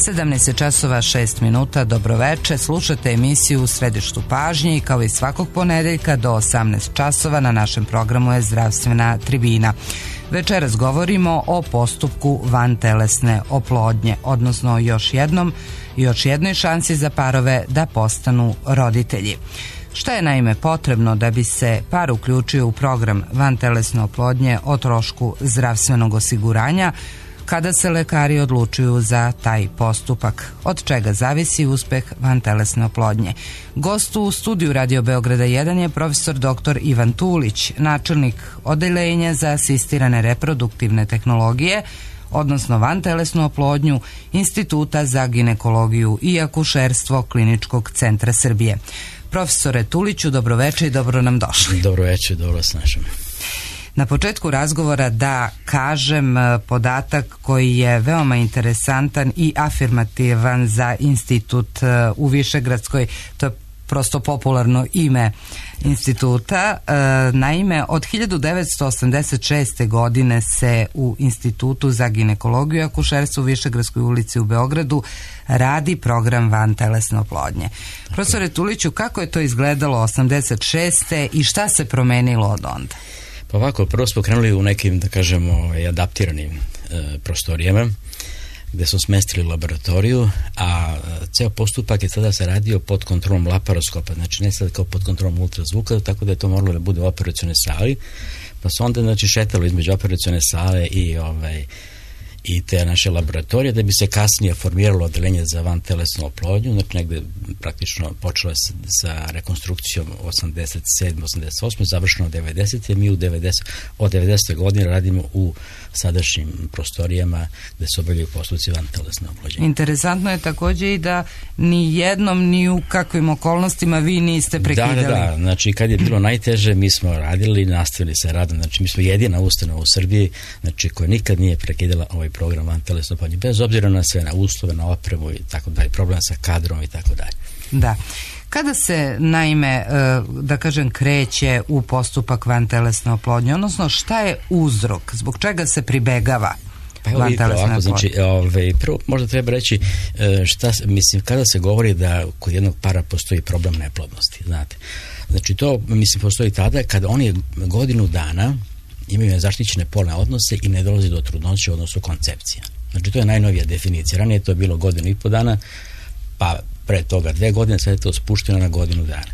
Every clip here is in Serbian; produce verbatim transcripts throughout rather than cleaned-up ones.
sedamnaest časova šest minuta, dobroveče, slušate emisiju U središtu pažnje i kao i svakog ponedeljka do osamnaest časova na našem programu je Zdravstvena tribina. Večeras govorimo o postupku vantelesne oplodnje, odnosno još jednom, još jednoj šansi za parove da postanu roditelji. Šta je naime potrebno da bi se par uključio u program vantelesne oplodnje o trošku zdravstvenog osiguranja, kada se lekari odlučuju za taj postupak, od čega zavisi uspeh vantelesne oplodnje. Gost u studiju Radio Beograda jedan je profesor doktor Ivan Tulić, načelnik odeljenja za asistirane reproduktivne tehnologije, odnosno vantelesnu oplodnju Instituta za ginekologiju i akušerstvo Kliničkog centra Srbije. Profesore Tuliću, dobroveče i dobro nam došli. Dobroveče, dobro vas našem. Na početku razgovora da kažem podatak koji je veoma interesantan i afirmativan za institut u Višegradskoj, to je prosto popularno ime instituta. Naime, od hiljadu devetsto osamdeset šeste. godine se u Institutu za ginekologiju i akušerstvo u Višegradskoj ulici u Beogradu radi program vantelesne oplodnje. Profesore Tuliću, kako je to izgledalo osamdeset šeste. i šta se promenilo od onda? Pa ovako, prvo smo krenuli u nekim, da kažemo, adaptiranim e, prostorijama, gde smo smestili laboratoriju, a ceo postupak je tada se radio pod kontrolom laparoskopa, znači ne sad kao pod kontrolom ultrazvuka, tako da je to moralo da bude u operacionoj sali, pa se onda znači šetalo između operacione sale i ovaj i te naše laboratorije, da bi se kasnije formiralo odeljenje za vantelesnu oplodnju, znači negde praktično počelo sa, sa rekonstrukcijom osamdeset sedme osamdeset osme završeno devedesete Mi u devedeset od devedesete godine radimo u sadašnjim prostorijama gde se obavljaju postupci vantelesne oplodnje. Interesantno je takođe i da ni jednom, ni u kakvim okolnostima vi niste prekidali. Da, da, da, znači kad je bilo najteže mi smo radili, nastavili se radom, znači mi smo jedina ustanova u Srbiji, znači koja nikad nije prekidala ovaj program vantelesne oplodnje, bez obzira na sve, na uslove, na opremu i tako dalje, problem sa kadrom i tako dalje. Da. Kada se, naime, da kažem, kreće u postupak vantelesne oplodnje, odnosno šta je uzrok, zbog čega se pribegava pa evo vidite ovako, znači, ove, prvo možda treba reći šta, mislim, kada se govori da kod jednog para postoji problem neplodnosti, znate, znači to, mislim, postoji tada kada oni godinu dana imaju zaštićene polne odnose i ne dolazi do trudnoće, odnosno koncepcija. Znači to je najnovija definicija. Ranije to je bilo godinu i po dana, pa pre toga dve godine, sad je to spušteno na godinu dana.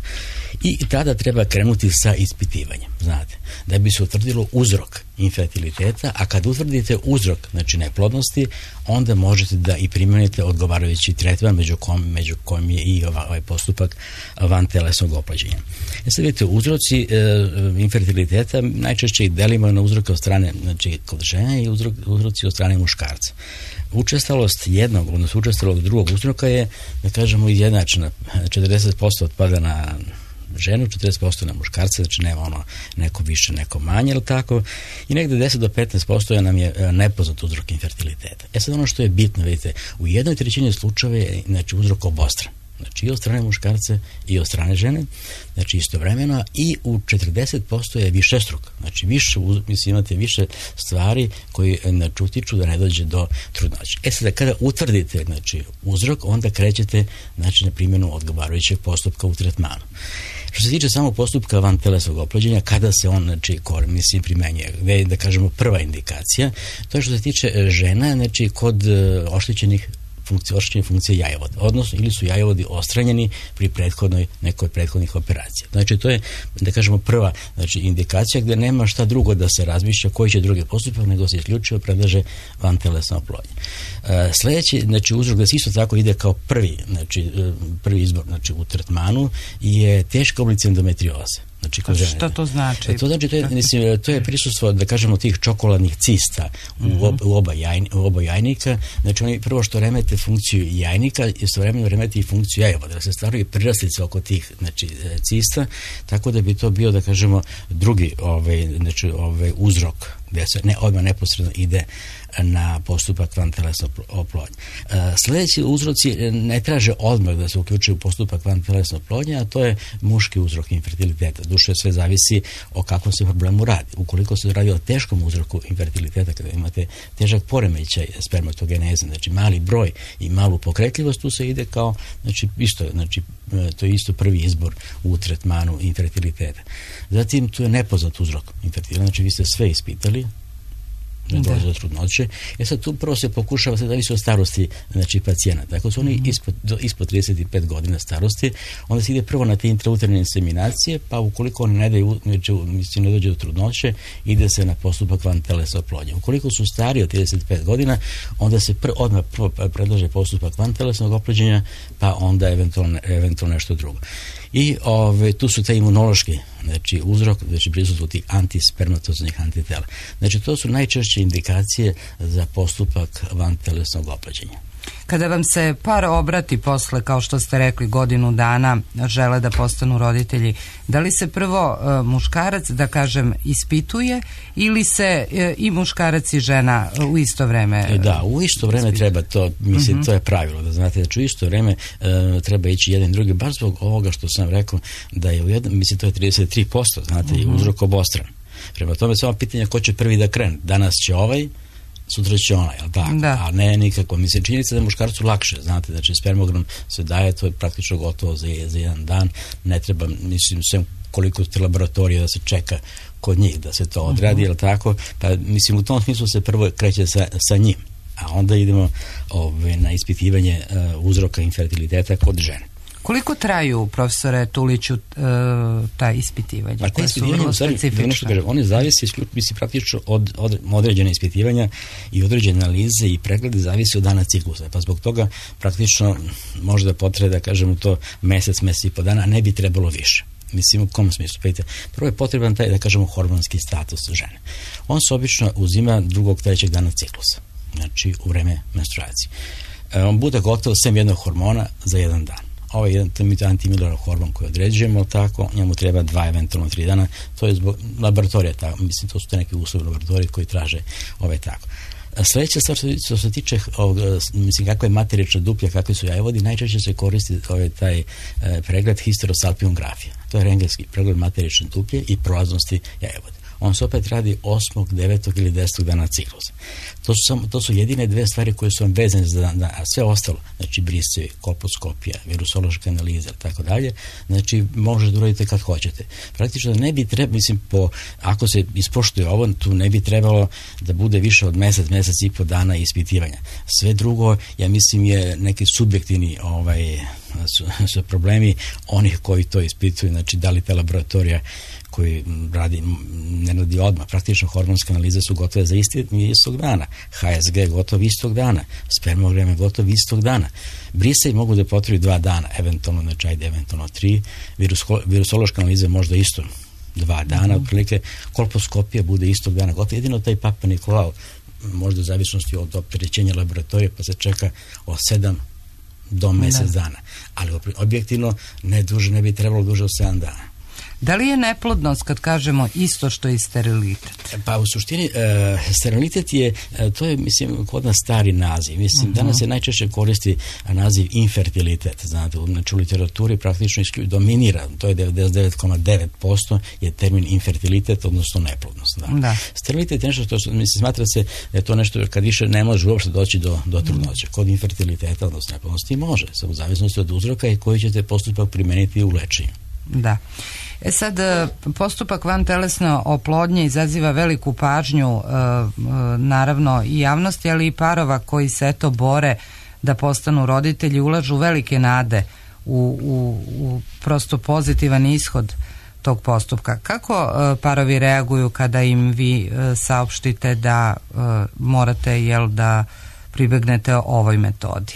I tada treba krenuti sa ispitivanjem, znate, da bi se utvrdilo uzrok infertiliteta, a kad utvrdite uzrok, znači neplodnosti, onda možete da i primenite odgovarajući tretman među kojim, među kojim je i ovaj postupak vantelesnog oplođenja. E sad vidite, uzroci e, infertiliteta najčešće ih delimo na uzroke od strane, znači kod žene i uzrok, uzroci od strane muškarca. Učestalost jednog, odnosno učestalost drugog uzroka je, da kažemo, izjednačena. četrdeset posto otpada na ženu, četrdeset posto na muškarce, znači nema ono neko više, neko manje, ili tako, i negde deset do petnaest posto nam je nepoznat uzrok infertiliteta. E sad ono što je bitno, vidite, u jednoj trećini slučajeva je, znači, uzrok obostran. Znači i od strane muškarce i od strane žene, znači istovremeno, i u četrdeset posto je višestruk, znači više, mislim, imate više stvari koji znači utiču da ne dođe do trudnoće. E sada kada utvrdite, znači, uzrok, onda krećete, znači, na primjenu odgovarajućeg postupka u tretmanu. Što se tiče samo postupka vantelesnog oplođenja, kada se on, znači, mislim, primenjuje, gde je, da kažemo, prva indikacija, to je što se tiče žena, znači, kod oštećenih funkcije, oštećenje funkcije jajovoda, odnosno ili su jajovodi ostranjeni pri prethodnoj, nekoj prethodnih operacija. Znači to je, da kažemo, prva, znači, indikacija gde nema šta drugo da se razmišlja koji će drugi postupak, nego se isključivo predlaže vantelesna oplodnja. E, sledeći, znači, uzrok da se isto tako ide kao prvi, znači prvi izbor, znači, u tretmanu je teška oblici endometrioze. Znači, a šta to znači? To znači, to je, mislim, to je prisustvo, da kažemo, tih čokoladnih cista u, ob, u, oba, jajn, u oba jajnika. Znači oni prvo što remete funkciju jajnika i istovremeno remete i funkciju jajovoda, da se stvaraju priraslice oko tih, znači, cista, tako da bi to bio, da kažemo, drugi ovaj, znači, ovaj, uzrok gde se ne, odmah neposredno ide na postupak vantelesne oplodnje. Sljedeći uzroci ne traže odmah da se uključuju u postupak vantelesne oplodnje, a to je muški uzrok infertiliteta. Duše sve zavisi o kakvom se problemu radi. Ukoliko se radi o teškom uzroku infertiliteta, kada imate težak poremećaj spermatogeneze, znači mali broj i malu pokretljivost, tu se ide kao, znači isto, znači to je isto prvi izbor u tretmanu infertiliteta. Zatim tu je nepoznat uzrok infertiliteta, znači vi ste sve ispitali, ne dolazi do trudnoće. E sad tu prvo se pokušava, se zavisi od starosti, znači pacijenata. Ako su oni mm-hmm. ispod, do, ispod trideset pet godina starosti, onda se ide prvo na te intrauterine inseminacije, pa ukoliko oni ne daju, mislim, ne dođe do trudnoće, ide se na postupak vantelesne oplodnje. Ukoliko su stariji od trideset pet godina, onda se pr, odmah prvo predlaže postupak vantelesnog oplođenja, pa onda eventualno, eventualno nešto drugo. I ove, tu su te imunološki, znači uzrok, znači prisustvo tih antispermatoznih antitela. Znači to su najčešće indikacije za postupak vantelesnog oplođenja. Kada vam se par obrati posle, kao što ste rekli, godinu dana žele da postanu roditelji, da li se prvo e, muškarac, da kažem, ispituje ili se e, i muškarac i žena u isto vreme? E, da, u isto vreme ispituje. Treba to, mislim, uh-huh. to je pravilo, da znate, znači u isto vreme e, treba ići jedan i drugi, baš zbog ovoga što sam rekao, da je u jednom, mislim, to je trideset tri posto, znate, uh-huh. i uzrok obostran. Prema tome samo pitanje ko će prvi da krene. Danas će ovaj, sutra će ona, jel tako? Da. A ne nikako. Mislim, činjenica da je muškarcu lakše, znate, znači spermogram se daje, to je praktično gotovo za, za jedan dan, ne treba, mislim, sve koliko te laboratorije da se čeka kod njih da se to odradi, uh-huh. jel tako? Pa, mislim, u tom smislu se prvo kreće sa, sa njim, a onda idemo ove, na ispitivanje uh, uzroka infertiliteta kod žene. Koliko traju, profesore Tuliću, ta ispitivanja? Pa ta ispitivanja, u stvari, kažem, oni zavisi, mislim, praktično od, od određene ispitivanja i određene analize i preglede zavisi od dana ciklusa. Pa zbog toga praktično možda potrebe, da kažemo to, mesec, mesec i po dana, a ne bi trebalo više. Mislim, u kom smislu? Pejte, prvo je potreban taj, da kažemo, hormonski status žene. On se obično uzima drugog, trećeg dana ciklusa, znači u vreme menstruacije. E, on bude gotovo sem jednog hormona za jedan dan. Ovo je jedan antimilorov hormon koji određujemo, tako, njemu treba dva, eventualno tri dana, to je zbog laboratorija, tako, mislim, to su te neke uslovi laboratorije koji traže ove tako. Sljedeća stvar što se tiče ovog, mislim, kakva je materična duplja, kakvi su jajevodi, najčešće se koristi ovaj, taj e, pregled histerosalpingografija. To je rentgenski pregled materične duplje i prolaznosti jajevode. On se opet radi osmog, devetog ili desetog dana ciklusa. To su, samo, to su jedine dve stvari koje su vam vezane za dan, a sve ostalo, znači brisevi, kolposkopija, virusološka analiza i tako dalje, znači možete da uradite kad hoćete. Praktično ne bi trebalo, mislim, po, ako se ispoštuje ovo, tu ne bi trebalo da bude više od mesec, mesec i po dana ispitivanja. Sve drugo, ja mislim, je neki subjektivni ovaj, su, su problemi onih koji to ispituju, znači da li ta laboratorija koji radi, ne radi odmah. Praktično hormonske analize su gotove za isti, istog dana. H S G gotov istog dana. Spermogram je gotov istog dana. Brisevi mogu da potrebi dva dana, eventualno, znači ajde, eventualno tri. Virus, virusološka analiza možda isto dva dana, mm-hmm. otprilike. Kolposkopija bude istog dana. Gotovo jedino taj Papa Nikolao, možda u zavisnosti od opterećenja laboratorije, pa se čeka od sedam do mjesec da. dana. Ali objektivno ne duže, ne bi trebalo duže od sedam dana. Da li je neplodnost, kad kažemo, isto što i sterilitet? Pa u suštini, e, sterilitet je, e, to je, mislim, kod nas stari naziv. Mislim, uh-huh. danas se najčešće koristi naziv infertilitet. Znate, znači u literaturi praktično isključ, dominira, to je devedeset devet zarez devet posto je termin infertilitet, odnosno neplodnost. Da. Da. Sterilitet je nešto što, mislim, smatra se da je to nešto kad više ne može uopšte doći do, do trudnoće. Kod infertiliteta, odnosno neplodnosti, može, u zavisnosti od uzroka i koji ćete postupak primeniti u lečenju. Da. E sad, postupak vantelesne oplodnje izaziva veliku pažnju, naravno i javnosti, ali i parova koji se eto bore da postanu roditelji, ulažu velike nade u, u, u prosto pozitivan ishod tog postupka. Kako parovi reaguju kada im vi saopštite da morate, jel, da pribegnete ovoj metodi?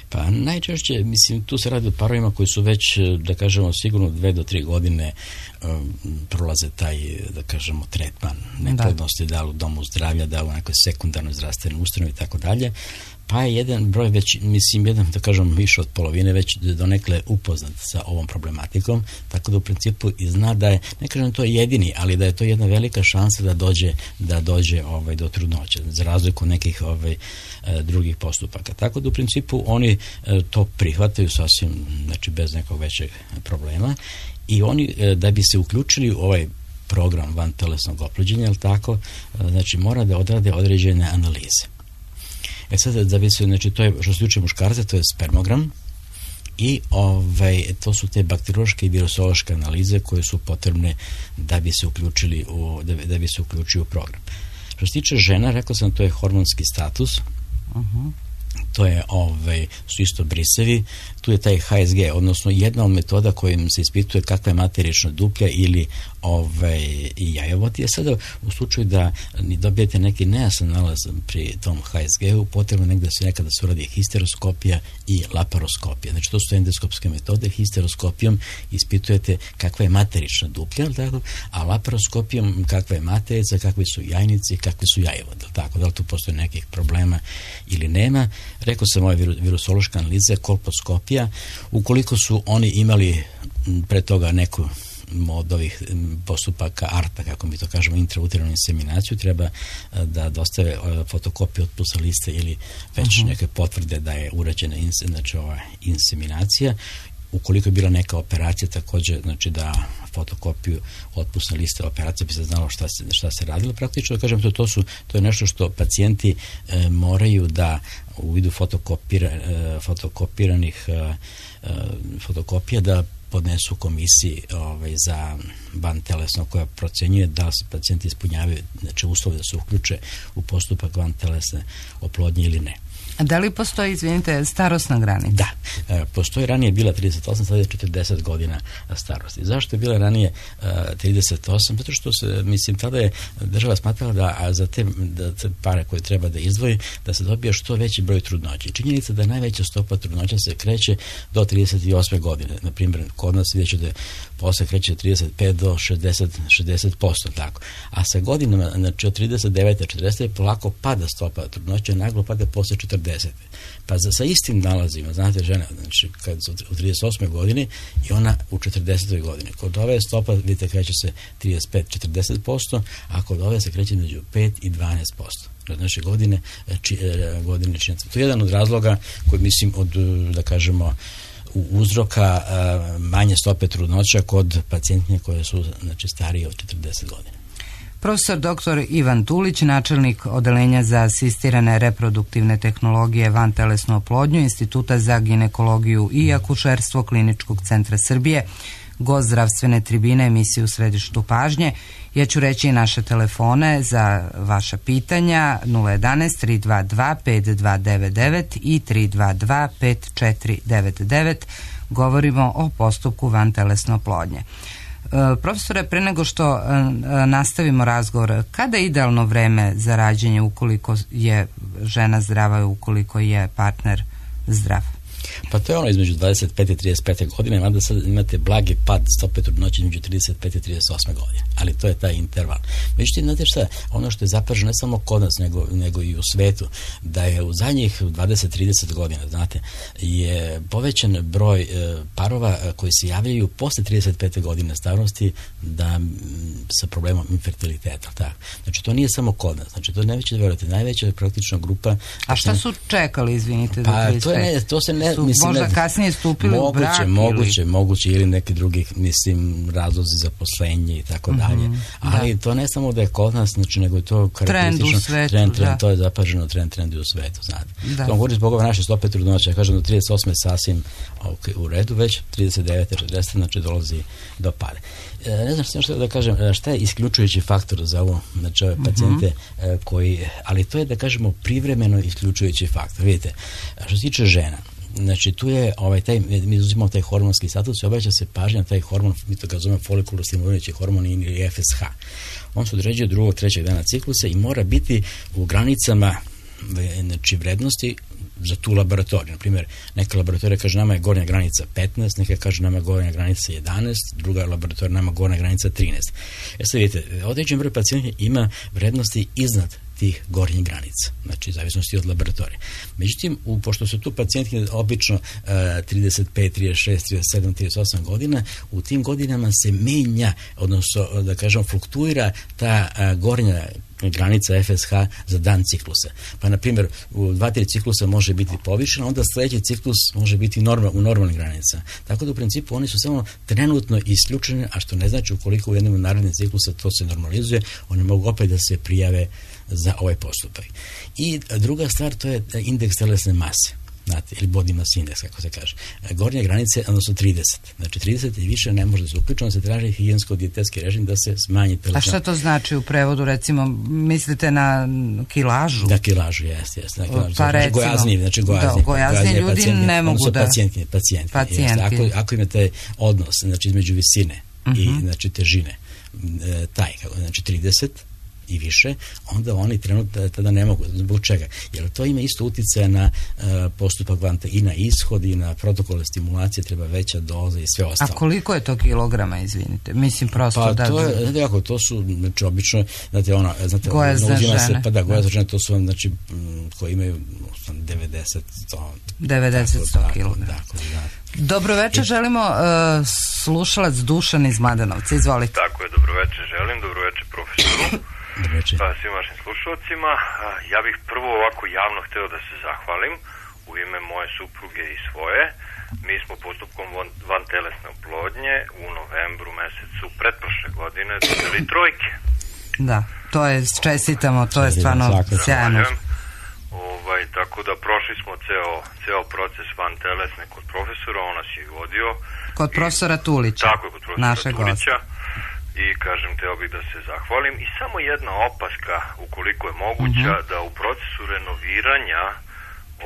Pa najčešće, mislim, tu se radi o parovima koji su već, da kažemo, sigurno dve do tri godine um, prolaze taj, da kažemo, tretman neplodnosti, da li u domu zdravlja, da li u nekoj sekundarnoj zdravstvenoj ustanovi i tako dalje. Pa je jedan broj već, mislim, jedan, da kažem, više od polovine već donekle upoznat sa ovom problematikom, tako da u principu i zna da je, ne kažem to je jedini, ali da je to jedna velika šansa da dođe, da dođe ovaj, do trudnoće, za razliku nekih ovaj, drugih postupaka. Tako da u principu oni to prihvataju sasvim, znači bez nekog većeg problema i oni da bi se uključili u ovaj program vantelesnog oplođenja, ali tako, znači mora da odrade određene analize. E sad, da bi se, znači, to je, što se tiče muškarca, to je spermogram i ovaj, to su te bakteriološke i virusološke analize koje su potrebne da bi se uključili u, da bi, da bi se uključili u program. Što se tiče žena, rekao sam, to je hormonski status, uh-huh. to je, ovaj, su isto brisevi, tu je taj H S G, odnosno jedna od metoda kojim se ispituje kakva je materična duplja ili ovaj, i jajovod je sada u slučaju da ni dobijete neki nejasan nalaz pri tom H S G-u, potrebno negdje se nekada se uradi histeroskopija i laparoskopija. Znači to su endoskopske metode. Histeroskopijom ispitujete kakva je materična duplja, tako? A laparoskopijom kakva je materica, kakvi su jajnici, kakvi su jajovod. Tako? Da li tu postoje nekih problema ili nema? Rekao sam ove virusološke analize, kolposkopija, ukoliko su oni imali pre toga neku od ovih postupaka A R T A, kako mi to kažemo, intrauterinu inseminaciju, treba da dostave fotokopiju otpusa liste ili već uh-huh. neke potvrde da je urađena inse, znači, ova inseminacija. Ukoliko je bila neka operacija, također, znači da fotokopiju otpusne liste operacije bi se znalo šta se, šta se radilo. Praktično, da kažem, to, to, su, to je nešto što pacijenti e, moraju da u vidu fotokopira, e, fotokopiranih e, fotokopija da podnesu komisiji ovaj, za vantelesno koja procenjuje da se pacijenti ispunjavaju, znači uslove da se uključe u postupak vantelesne oplodnje ili ne. A da li postoji, izvinite, starosna granica? Da, e, postoji, ranije je bila trideset osam, sada je četrdeset godina starosti. Zašto je bila ranije e, trideset osam? Zato što se, mislim, tada je država smatrala da a za te, da te pare koje treba da izdvoji, da se dobije što veći broj trudnoća. Činjenica da najveća stopa trudnoća se kreće do trideset osme godine. Na primjer, kod nas vidjet ćete posle kreće trideset pet do šezdeset posto, tako. A sa godinama, znači od trideset devete četrdeset polako pada stopa trudnoća, naglo pada posle četrdeset. Pa za, sa istim nalazima, znate, žena, znači kad su u trideset osmoj godini i ona u četrdesetoj godini. Kod ove stopa, vidite, kreće se trideset pet do četrdeset posto, a kod ove se kreće među pet i dvanaest posto. Znači godine, či, godine činjenica. To je jedan od razloga koji, mislim, od, da kažemo, uzroka manje stope trudnoća kod pacijentnje koje su, znači, starije od četrdeset godina. Profesor doktor Ivan Tulić, načelnik odeljenja za asistirane reproduktivne tehnologije vantelesnu oplodnju Instituta za ginekologiju i akušerstvo Kliničkog centra Srbije, gost zdravstvene tribine emisije U središtu pažnje. Ja ću reći naše telefone za vaša pitanja nula jedanaest tri dva dva pet dva devet devet i tri dva dva pet četiri devet devet. Govorimo o postupku vantelesne oplodnje. Profesore, pre nego što nastavimo razgovor, kada je idealno vreme za rađenje ukoliko je žena zdrava i ukoliko je partner zdrav? Pa to je ono između dvadeset pete i trideset pete godine, mada sad imate blagi pad stope trudnoće između trideset pete i trideset osme godine, ali to je taj interval. Međutim, znate šta, ono što je zapaženo ne samo kod nas, nego, nego i u svetu, da je u zadnjih dvadeset do trideset godina, znate, je povećan broj e, parova koji se javljaju posle trideset pete godine starosti da m, sa problemom infertiliteta. Tako. Znači, to nije samo kod nas, znači, to je najveća, verujte, najveća praktično grupa. A šta su čekali, izvinite, pa, do trideset pete? To, je, to se ne... Mislim, možda ne, kasnije stupili moguće, u brak moguće, ili... moguće ili neki drugi, mislim, razlozi za poslenje i tako mm-hmm, dalje. Ali da. To ne samo da je kod nas, znači, nego je to karakteristično. Trend u svetu, trend, trend, da. To je zapaženo trend, trend u svetu, znate. Da. To govorim zbog ove naše stope trudnoće. Ja kažem do trideset osme sasvim okay, u redu, već trideset devete četrdeset znači dolazi do pade. E, ne znam što da kažem, šta je isključujući faktor za ovo, znači ove pacijente mm-hmm. koji, ali to je da kažemo privremeno isključujući faktor. Vidite, što se tiče žena, znači tu je ovaj taj, mi uzimamo taj hormonski status i obraća se pažnja na taj hormon, mi to ga zovemo folikulo-stimulirajući hormon ili F S H. On se određuje drugog, trećeg dana ciklusa i mora biti u granicama znači, vrednosti za tu laboratoriju. Na primjer, neka laboratorija kaže nama je gornja granica petnaest, neka kaže nama je gornja granica jedanaest, druga laboratorija nama je gornja granica trinaest. E sad vidite, određen broj pacijenta ima vrednosti iznad tih gornjih granica, znači zavisnosti od laboratorije. Međutim, u, pošto su tu pacijenti obično uh, trideset pet, trideset šest, trideset sedam, trideset osam godina, u tim godinama se menja, odnosno da kažem fluktuira ta uh, gornja granica F S H za dan ciklusa. Pa, na primjer, u dva tri ciklusa može biti povišena, onda sljedeći ciklus može biti normal, u normalnih granica. Tako da u principu oni su samo trenutno isključeni, a što ne znači ukoliko u jednom narednih ciklusa to se normalizuje, oni mogu opet da se prijave za ovaj postupak. I druga stvar, to je indeks telesne mase, znate, ili body mass index, kako se kaže. Gornje granice, odnosno trideset. Znači trideset i više ne može da se uključeno, se traži higijensko-dijetetski režim da se smanji telesna. A šta to znači u prevodu, recimo, mislite na kilažu? Da, kilažu, jeste, jeste. Pa znači, recimo, gojazni, znači gojazni, da, gojazni ljudi pacijenti, ne mogu da... Pacijenti, pacijenti. pacijenti. Ako, ako imate odnos, znači, između visine uh-huh. i, znači, težine, e, taj, znači, trideset i više, onda oni trenutno tada ne mogu. Zbog čega? Jer to ima isto utjecaja na uh, postupak vanta i na ishod i na protokole stimulacije, treba veća doza i sve ostalo. A koliko je to kilograma, izvinite? Mislim prosto pa da... to je, znate kako, to su, znači, obično, znate, ono, znate, gojazne žene. Se, pa da, gojazne žene, to su, znači, m, koji imaju devedeset, sto devedeset, sto kilograma. Dobro večer, želimo uh, slušalac Dušan iz Mladenovca, izvolite. Tako je, dobro večer želim, dobro večer profesoru. Pa svim vašim slušalcima. Ja bih prvo ovako javno hteo da se zahvalim u ime moje supruge i svoje. Mi smo postupkom van telesne oplodnje u novembru mesecu pretprošle godine dobili trojke. Da, to je, čestitamo, to je stvarno sjajno. Ovaj, tako da prošli smo ceo, ceo proces van telesne kod profesora, on nas je vodio. Kod profesora Tulića. Tako je, kod profesora Tulića. I kažem, teo bih da se zahvalim. I samo jedna opaska, ukoliko je moguća, uh-huh. da u procesu renoviranja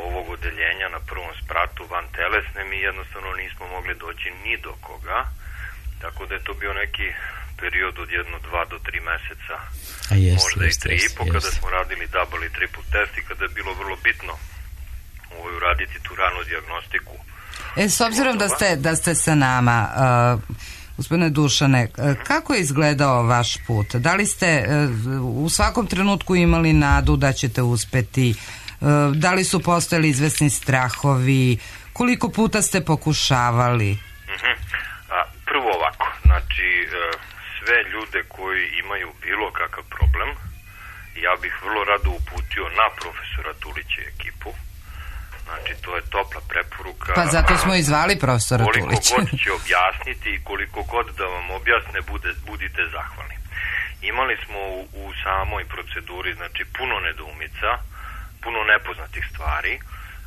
ovog odeljenja na prvom spratu van telesne mi jednostavno nismo mogli doći ni do koga. Tako da je to bio neki period od jedno, dva do tri meseca. A jest, možda jest, i tri jest, i po jest. Kada smo radili double i triple test i kada je bilo vrlo bitno ovaj, uraditi tu ranu dijagnostiku. E, s obzirom da ste, da ste sa nama... Uh, Gospodine Dušane, kako je izgledao vaš put? Da li ste u svakom trenutku imali nadu da ćete uspeti? Da li su postojali izvesni strahovi? Koliko puta ste pokušavali? Uh-huh. A, prvo ovako, znači sve ljude koji imaju bilo kakav problem, ja bih vrlo rado uputio na profesora Tulića i ekipu. Znači, to je topla preporuka. Pa zato smo i zvali profesora Tulića. Koliko god će objasniti i koliko god da vam objasne, bude, budite zahvalni. Imali smo u, u samoj proceduri, znači, puno nedoumica, puno nepoznatih stvari.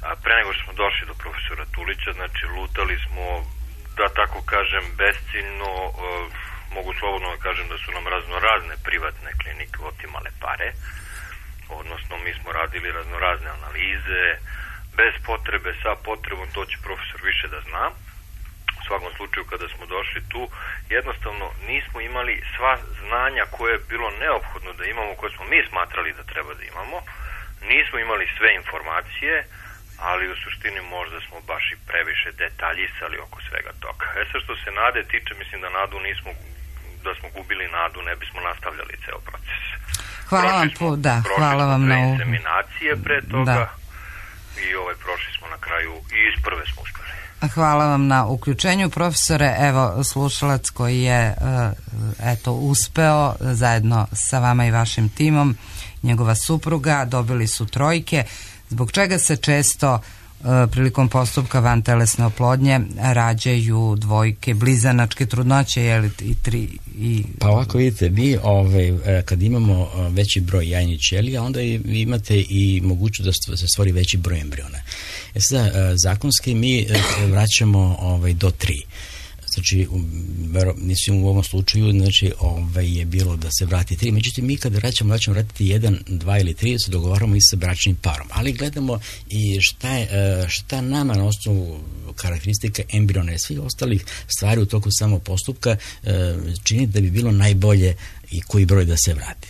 A pre nego što smo došli do profesora Tulića, znači, lutali smo, da tako kažem, besciljno, uh, mogu slobodno da kažem da su nam raznorazne privatne klinike otimale pare. Odnosno, mi smo radili raznorazne analize, bez potrebe, sa potrebom, to će profesor više da zna. U svakom slučaju, kada smo došli tu, jednostavno nismo imali sva znanja koje je bilo neophodno da imamo, koje smo mi smatrali da treba da imamo. Nismo imali sve informacije, ali u suštini možda smo baš i previše detaljisali oko svega toga. E sad, što se nade tiče, mislim da nadu nismo, da smo gubili nadu, ne bismo nastavljali ceo proces. Hvala vam, po, da, hvala vam na ovo. Inseminacije pre toga. Da. I ovaj prošli smo na kraju i iz prve smo uspeli. Hvala vam na uključenju, profesore. Evo, slušalac koji je eto uspeo zajedno sa vama i vašim timom, njegova supruga, dobili su trojke, zbog čega se često prilikom postupka vantelesne oplodnje rađaju dvojke, blizanačke trudnoće, je li i tri i... Pa ovako vidite, vi ovaj, kad imamo veći broj jajnih ćelija, onda imate i mogućnost da se stvori veći broj embriona. E sada, zakonski mi vraćamo ovaj, do tri. Znači, mislim u ovom slučaju, znači, ovaj, je bilo da se vrati tri, međutim mi kada vraćamo, vraćamo vratiti jedan, dva ili tri, se dogovaramo i sa bračnim parom, ali gledamo i šta, je, šta nama na osnovu karakteristika embriona i svih ostalih stvari u toku samog postupka čini da bi bilo najbolje i koji broj da se vrati.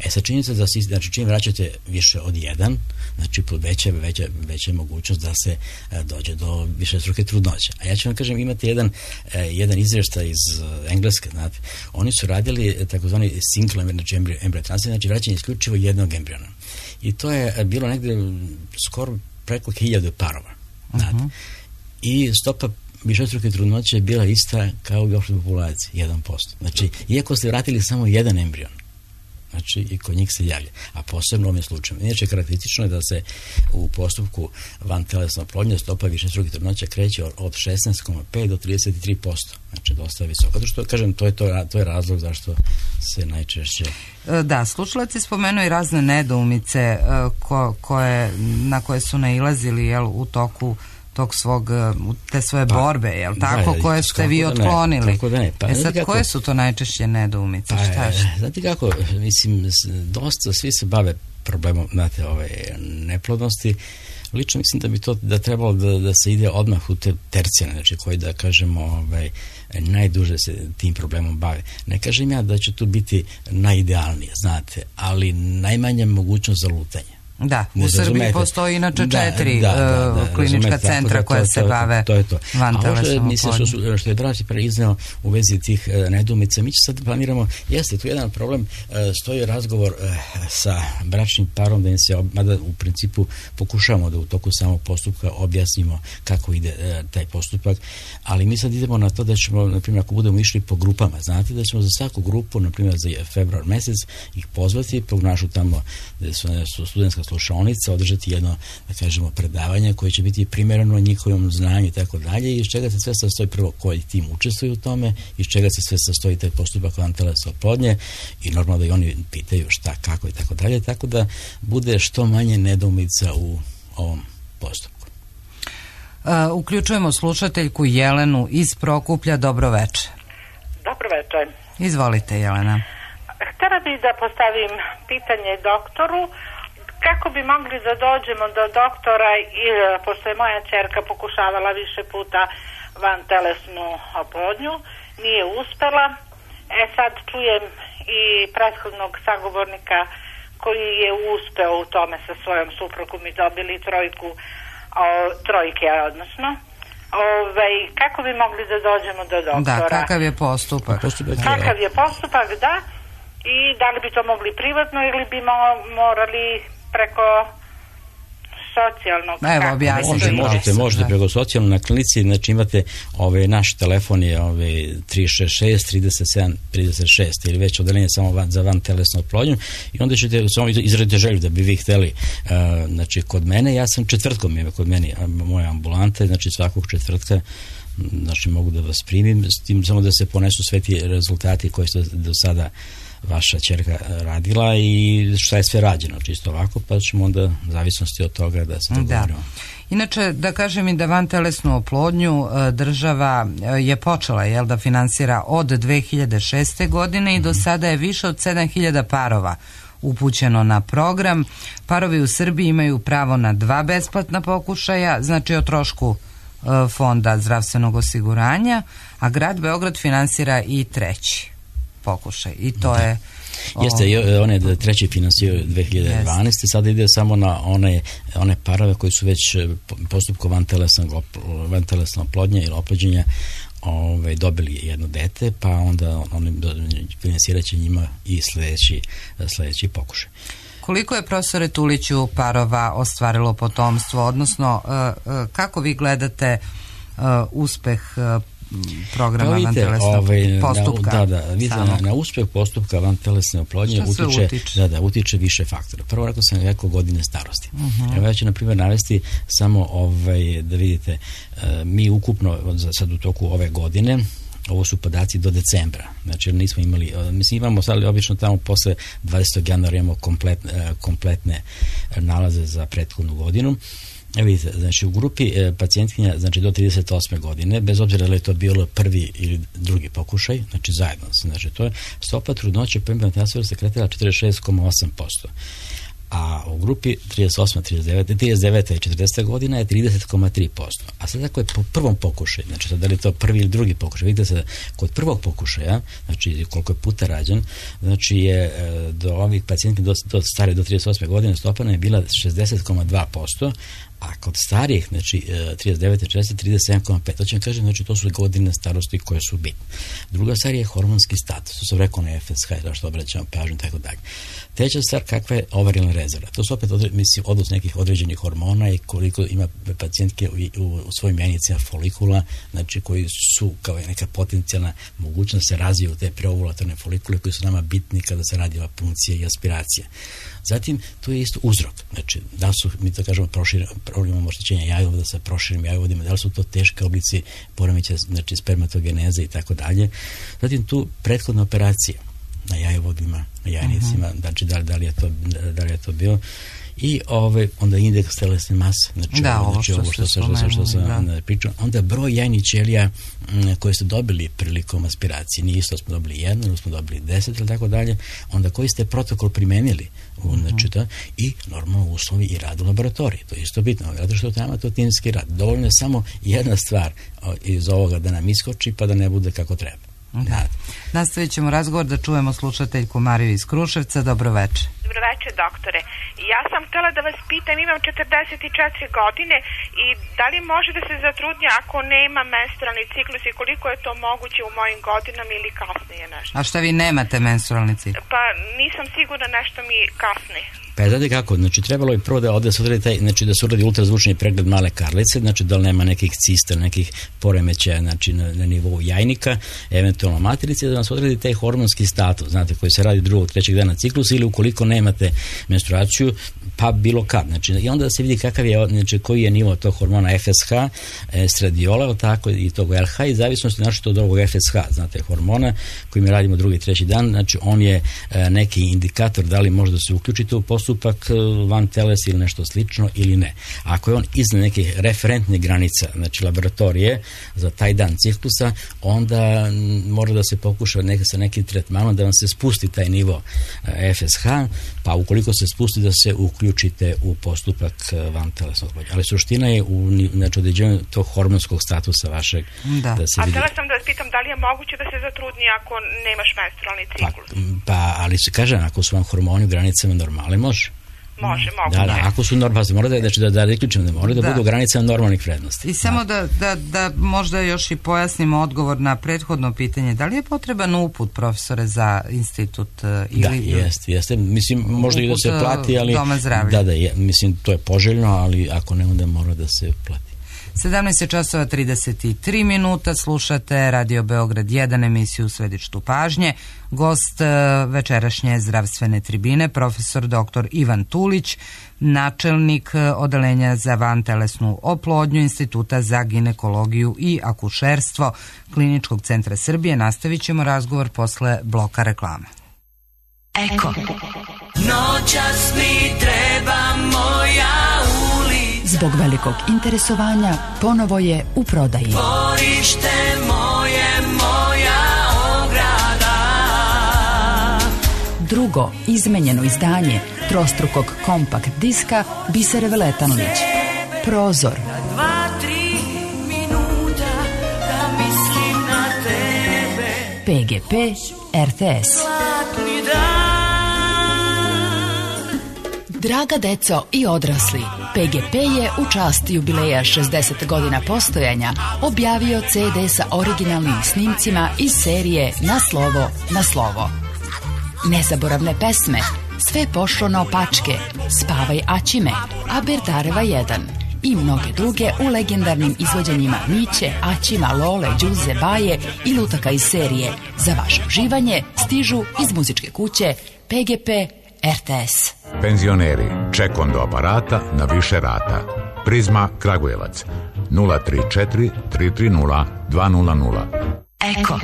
E sad činjenica da si, znači čim vraćate više od jedan, znači veća, veća, veća mogućnost da se a, dođe do višestruke trudnoće. A ja ću vam kažem, imate jedan, a, jedan izvještaj iz a, Engleske, znate, oni su radili takozvani single, znači embryo transplant, znači vraćanje isključivo jednog embriona. I to je bilo negde skoro preko hiljadu parova. Znate. Uh-huh. I stopa višestruke trudnoće je bila ista kao u opštoj populaciji, jedan posto. Znači, iako ste vratili samo jedan embrion, znači i kod njih se javlja, a posebno u ovim slučajima. Inače, karakteristično je da se u postupku vantelesne oplodnje stopa višestruke trudnoće kreće od šesnaest zarez pet do trideset tri posto. Znači, dosta visoko. Zato što, kažem, to je, to, to je razlog zašto se najčešće... Da, slušalac je spomenuo i razne nedoumice ko, koje, na koje su nailazili, jel, u toku tog svog, te svoje pa, borbe, jel tako, da, koje ste vi otklonili. Da ne, pa, e sad, kako, koje su to najčešće nedoumice? Pa, šta je? Znate kako, mislim, dosta svi se bave problemom, znate, ove neplodnosti. Lično mislim da bi to da trebalo da, da se ide odmah u te tercijane, znači koji da kažemo ovaj, najduže se tim problemom bave. Ne kažem ja da će tu biti najidealnije, znate, ali najmanja mogućnost za lutanje. Da, u Srbiji postoji inače četiri da, da, da, da, klinička centra da, koja to, se to, bave vantelesnom oplodnjom. Što, što je Draži preiznao u vezi tih uh, nedoumica, mi će sad planiramo, jeste tu jedan problem, uh, stoji razgovor uh, sa bračnim parom da im se, mada u principu pokušavamo da u toku samog postupka objasnimo kako ide uh, taj postupak, ali mi sad idemo na to da ćemo, na primjer, ako budemo išli po grupama, znate da ćemo za svaku grupu, na primjer za februar mesec, ih pozvati, pognašu tamo gde su, su studentska slušaonica, održati jedno, da kažemo, predavanje koje će biti primjereno njihovom znanju i tako dalje, i iz čega se sve sastoji, prvo koji tim učestvuju u tome, iz čega se sve sastoji taj postupak vantelesne oplodnje, i normalno da i oni pitaju šta, kako i tako dalje, tako da bude što manje nedoumica u ovom postupku. Uh, uključujemo slušateljku Jelenu iz Prokuplja. Dobro večer. Dobro večer. Izvolite, Jelena. Htela bih da postavim pitanje doktoru. Kako bi mogli da dođemo do doktora, i pošto je moja ćerka pokušavala više puta vantelesnu oplodnju, nije uspela. E sad čujem i prethodnog sagovornika koji je uspeo u tome sa svojom suprugom i dobili trojku, o, trojke, odnosno. Ove, kako bi mogli da dođemo do doktora? Da, kakav je postupak? postupak kakav je postupak, da. I da li bi to mogli privatno ili bi morali preko socijalnog? Evo, objasnite. Može, možete, možete preko socijalnog na klinici, znači imate ove, naš telefon je ove, tri šest šest trideset sedam trideset šest ili već odeljenje samo van, za vantelesnu oplodnju, i onda ćete samo izraditi želju da bi vi hteli, uh, znači kod mene, ja sam četvrtkom je kod mene moja ambulanta, znači svakog četvrtka, znači mogu da vas primim, s tim samo da se ponesu sve ti rezultati koji su do sada vaša ćerka radila i šta je sve rađeno, čisto ovako, pa ćemo onda zavisnosti od toga da se dogovorimo. Da. Inače, da kažem i da vantelesnu oplodnju država je počela, jel, da finansira od dve hiljade šeste. godine i do sada je više od sedam hiljada parova upućeno na program. Parovi u Srbiji imaju pravo na dva besplatna pokušaja, znači o trošku Fonda zdravstvenog osiguranja, a grad Beograd finansira i treći pokušaj. I to da. je... Jeste, on je treći finansirao dve hiljade dvanaeste. Sada ide samo na one, one parove koji su već postupkom vantelesne oplodnje ili oplođenja Ove, dobili jedno dete, pa onda oni finansirat će njima i sljedeći, sljedeći pokušaj. Koliko je, profesore Tuliću, parova ostvarilo potomstvo, odnosno kako vi gledate uspeh programa pa vantelesnog ovaj, postupka? Da, da, vidite, na, na uspeh postupka vantelesne oplodnje utiče, utiče? Da, da, utiče više faktora. Prvo, rekao sam, rekao godine starosti. Uh-huh. Evo ja ću, na primjer, navesti samo ovaj, da vidite, mi ukupno sad u toku ove godine, ovo su podaci do decembra, znači nismo imali, mislim imamo sad obično tamo posle dvadesetog januara imamo kompletne, kompletne nalaze za prethodnu godinu. Evo vidite, znači u grupi e, pacijentkinja, znači do trideset osme godine, bez obzira da li je to bilo prvi ili drugi pokušaj, znači zajedno, znači to je stopa trudnoće po implantacijom se kretala četrdeset šest zarez osam posto. a u grupi trideset osma, trideset deveta, trideset deveta i četrdeseta godina je trideset zarez tri posto. A sad ako je po prvom pokušaju, znači sad da li je to prvi ili drugi pokušaj, vidite se kod prvog pokušaja, znači koliko je puta rađen, znači je do ovih pacijentki do, do stare do trideset osme godine stopa je bila šezdeset zarez dva posto, a kod starijih, znači trideset devete, četrdesete, trideset sedam zarez pet. To će vam kažem, znači to su godine starosti koje su bitne. Druga stvar je hormonski status, to sam rekao na F S H, zašto obraćamo pažnju, tako dalje. Treća stvar, kakva je ovarijalna rezerva. To su opet, mislim, odnos nekih određenih hormona i koliko ima pacijentke u, u, u svojim jajnicima folikula, znači koji su kao neka potencijalna mogućnost da se razviju te preovulatorne folikule koji su nama bitni kada se radi o punkcija i aspiracija. Zatim, to je isto uzrok. Znači, da su, mi to kažemo, imamo oštećenja jajovoda sa proširenim jajovodima, da li su to teške oblici poremećaja, znači spermatogeneze i tako dalje. Zatim, tu prethodna operacija na jajovodima, na jajnicima, uh-huh. znači da li, da li je to, da li je to bio. I ove, onda indeks telesne mase, znači, da, ovo, znači, ovo što, što, što, što sam da. pričao. Onda broj jajnih ćelija m, koje ste dobili prilikom aspiracije, nije isto smo dobili jedno, ili smo dobili deset ili tako dalje, onda koji ste protokol primenili, uh-huh. znači to, i normalno uslovi i rad u laboratoriji, to je isto bitno, zato što tamo to timski rad. Dovoljno je samo jedna stvar o, iz ovoga da nam iskoči pa da ne bude kako treba. Da. Nastavit ćemo razgovor da čujemo slušateljku Mariju iz Kruševca. Dobro večer. Dobro večer, doktore. Ja sam htjela da vas pitam, imam četrdeset četiri godine i da li može da se zatrudnja ako nema menstrualni ciklus i koliko je to moguće u mojim godinama ili kasnije nešto? A šta vi nemate menstrualni ciklus? Pa nisam sigurna, nešto mi kasni. Pa znate kako, znači trebalo je prvo da ovdje se uradi taj, znači da se uradi ultrazvučni pregled male karlice, znači da li nema nekih cista, nekih poremećaja, znači na, na nivou jajnika, eventualno materice, da vam se odredi taj hormonski status, znate, koji se radi drugog, trećeg dana ciklusa ili ukoliko nemate menstruaciju, pa bilo kad, znači i onda da se vidi kakav je, znači koji je nivo tog hormona F S H, estradiola, tako i tog L H i zavisnosti znači od ovog F S H, znate, hormona koji mi radimo drugi, treći dan, znači on je neki indikator da li može da se uključite u postupak van teles ili nešto slično ili ne. Ako je on iznad nekih referentnih granica, znači laboratorije za taj dan ciklusa, onda mora da se pokuša neka, sa nekim tretmanom da vam se spusti taj nivo F S H, pa ukoliko se spusti da se uključite u postupak van telesnog oplođenja. Ali suština je u znači, određenju tog hormonskog statusa vašeg. Da. Da se A vidi. htjela sam da vas pitam da li je moguće da se zatrudni ako nemaš menstrualni ciklus? Pa, pa ali se kaže, ako su vam hormoni u granicama normale, može. Može, mogu. Da, da, ako su normalni, mora da, znači da, da reključimo, da mora da, da budu granice normalnih vrednosti. I samo da, da, da možda još i pojasnimo odgovor na prethodno pitanje. Da li je potreban uput, profesore, za institut? Ili, da, jeste, jeste. Mislim, možda i da se plati, ali... Doma zdravlja. Da, da, je, mislim, to je poželjno, ali ako ne, onda mora da se plati. sedamnaest časova trideset tri minuta, slušate Radio Beograd jedan, emisiju Središtu pažnje. Gost večerašnje zdravstvene tribine, profesor doktor Ivan Tulić, načelnik odeljenja za vantelesnu oplodnju Instituta za ginekologiju i akušerstvo Kliničkog centra Srbije. Nastavit ćemo razgovor posle bloka reklame. Eko. Noćas mi treba moja ulica. Zbog velikog interesovanja ponovo je u prodaji. Dvorište moje, moja ograda. Drugo izmenjeno izdanje trostrukog kompakt diska Biser Veletanlić. Prozor. Dva, tri minuta da mislim na tebe. P G P R T S. Draga deco i odrasli, P G P je u čast jubileja šezdeset godina postojanja objavio C D sa originalnim snimcima iz serije Na slovo, na slovo. Nezaboravne pesme, Sve pošlo naopačke, Spavaj Aćime, Aberdareva jedan i mnoge druge u legendarnim izvođenjima Miće, Aćima, Lole, Đuze, Baje i lutaka iz serije. Za vaše uživanje stižu iz muzičke kuće P G P R T S. Penzioneri, čekom do aparata na više rata. Prizma Kragujevac nula tri četiri tri tri nula dva nula nula. Eko.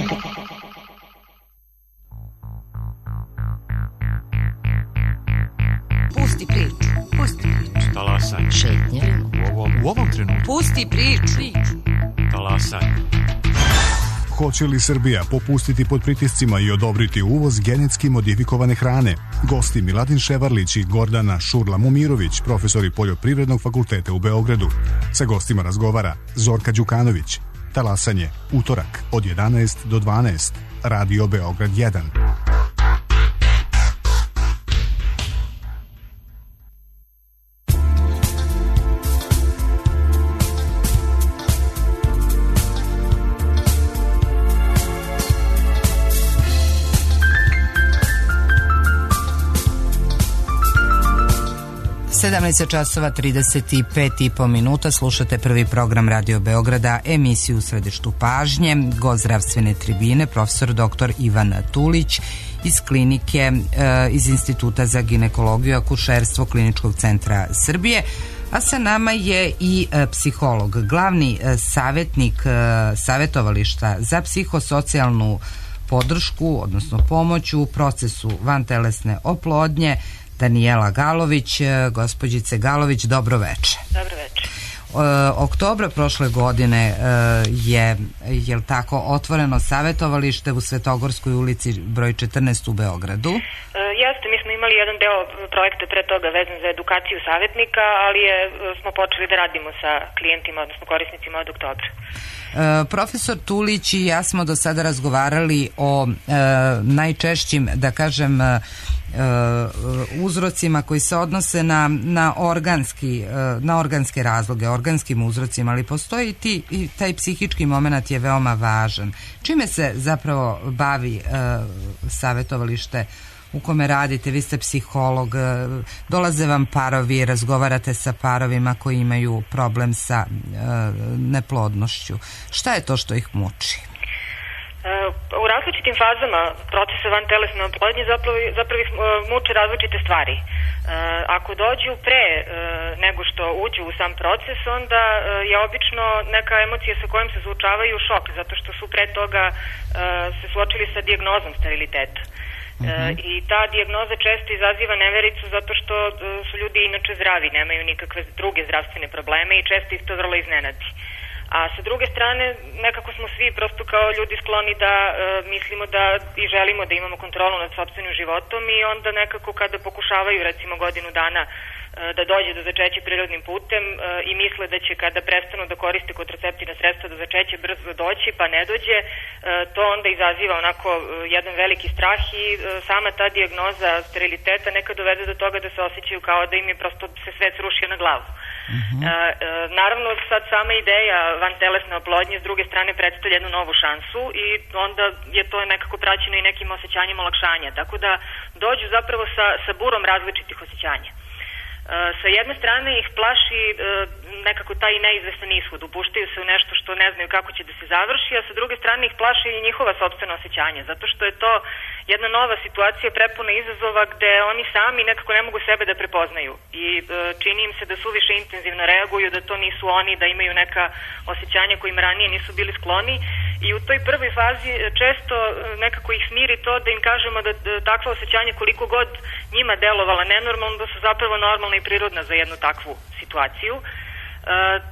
Pusti priču, pusti priču. Talasaj. Šetnje. U ovom, u ovom trenutku. Pusti priču. Talasaj. Hoće li Srbija popustiti pod pritiscima i odobriti uvoz genetski modifikovane hrane? Gosti Miladin Ševarlić i Gordana Šurla-Mumirović, profesori Poljoprivrednog fakulteta u Beogradu. Sa gostima razgovara Zorka Đukanović. Talasanje, utorak od jedanaest do dvanaest. Radio Beograd jedan. sedamnaest časova trideset pet i po minuta, slušate prvi program Radio Beograda, emisiju u središtu pažnje, gost zdravstvene tribine, profesor doktor Ivan Tulić iz klinike, iz Instituta za ginekologiju i akušerstvo Kliničkog centra Srbije, a sa nama je i psiholog, glavni savjetnik savjetovališta za psihosocijalnu podršku, odnosno pomoć u procesu vantelesne oplodnje, Danijela Galović. Gospođice Galović, dobro veče. Dobro veče. E, oktobra prošle godine e, je, je tako, otvoreno savjetovalište u Svetogorskoj ulici broj četrnaest u Beogradu. E, jeste, mi smo imali jedan deo projekta pre toga vezan za edukaciju savjetnika, ali je, smo počeli da radimo sa klijentima, odnosno korisnicima od oktobra. E, profesor Tulić i ja smo do sada razgovarali o e, najčešćim, da kažem, e, uzrocima koji se odnose na, na, organski, na organske razloge, organskim uzrocima, ali postoji ti, i taj psihički moment je veoma važan. Čime se zapravo bavi e, savjetovalište u kome radite? Vi ste psiholog, dolaze vam parovi, razgovarate sa parovima koji imaju problem sa e, neplodnošću. Šta je to što ih muči? U različitim fazama procesa vantelesne oplodnje zapravo, zapravo ih muče različite stvari. Ako dođu pre nego što uđu u sam proces, onda je obično neka emocija sa kojom se suočavaju šok, zato što su pre toga se suočili sa dijagnozom steriliteta. Uh-huh. I ta dijagnoza često izaziva nevericu zato što su ljudi inače zdravi, nemaju nikakve druge zdravstvene probleme i često ih to vrlo iznenadi. A sa druge strane, nekako smo svi prosto kao ljudi skloni da e, mislimo da i želimo da imamo kontrolu nad sopstvenim životom i onda nekako kada pokušavaju recimo godinu dana e, da dođe do začeća prirodnim putem e, i misle da će kada prestanu da koriste kontraceptivna sredstva do začeća brzo doći pa ne dođe, e, to onda izaziva onako e, jedan veliki strah i e, sama ta dijagnoza steriliteta neka dovede do toga da se osjećaju kao da im je prosto se svet srušio na glavu. Uh-huh. E, e, naravno sad sama ideja vantelesne oplodnje s druge strane predstavlja jednu novu šansu i onda je to nekako praćeno i nekim osjećanjem olakšanja, tako da dođu zapravo sa, sa burom različitih osjećanja. E, sa jedne strane ih plaši e, nekako taj neizvestan ishod, upuštaju se u nešto što ne znaju kako će da se završi, a sa druge strane ih plaši i njihova sopstvena osjećanja, zato što je to jedna nova situacija prepuna izazova gde oni sami nekako ne mogu sebe da prepoznaju i e, čini im se da suviše intenzivno reaguju, da to nisu oni, da imaju neka osjećanja kojim ranije nisu bili skloni i u toj prvoj fazi često nekako ih smiri to da im kažemo da, da takva osjećanja koliko god njima delovala nenormalno, da su zapravo normalna i prirodna za jednu takvu situaciju. E,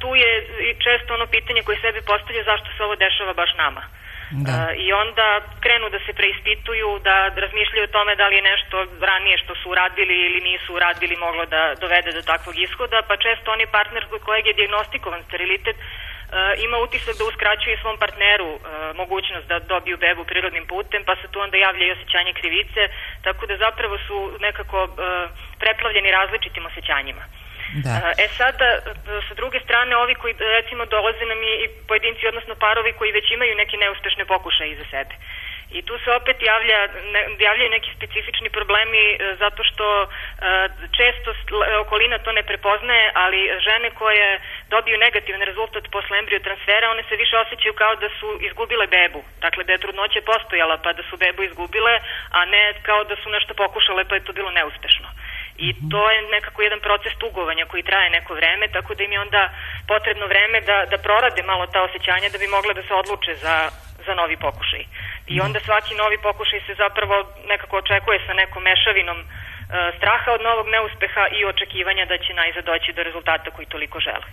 tu je i često ono pitanje koje sebi postavlja zašto se ovo dešava baš nama. Da. Uh, i onda krenu da se preispituju, da razmišljaju o tome da li je nešto ranije što su uradili ili nisu uradili moglo da dovede do takvog ishoda, pa često oni partner kod kojeg je dijagnostikovan sterilitet uh, ima utisak da uskraćuje svom partneru uh, mogućnost da dobiju bebu prirodnim putem, pa se tu onda javlja i osjećanje krivice, tako da zapravo su nekako uh, preplavljeni različitim osjećanjima. Da. E sada, sa druge strane, ovi koji recimo dolaze nam i pojedinci, odnosno parovi koji već imaju neke neuspešne pokušaje iza sebe. I tu se opet javlja, ne, javljaju neki specifični problemi zato što e, često okolina to ne prepoznaje, ali žene koje dobiju negativan rezultat posle embriotransfera, one se više osjećaju kao da su izgubile bebu. Dakle, da je trudnoća postojala pa da su bebu izgubile, a ne kao da su nešto pokušale pa je to bilo neuspešno. I to je nekako jedan proces tugovanja koji traje neko vreme, tako da im je onda potrebno vreme da, da prorade malo ta osjećanja da bi mogle da se odluče za, za novi pokušaj. I onda svaki novi pokušaj se zapravo nekako očekuje sa nekom mešavinom straha od novog neuspeha i očekivanja da će najzad doći do rezultata koji toliko žele.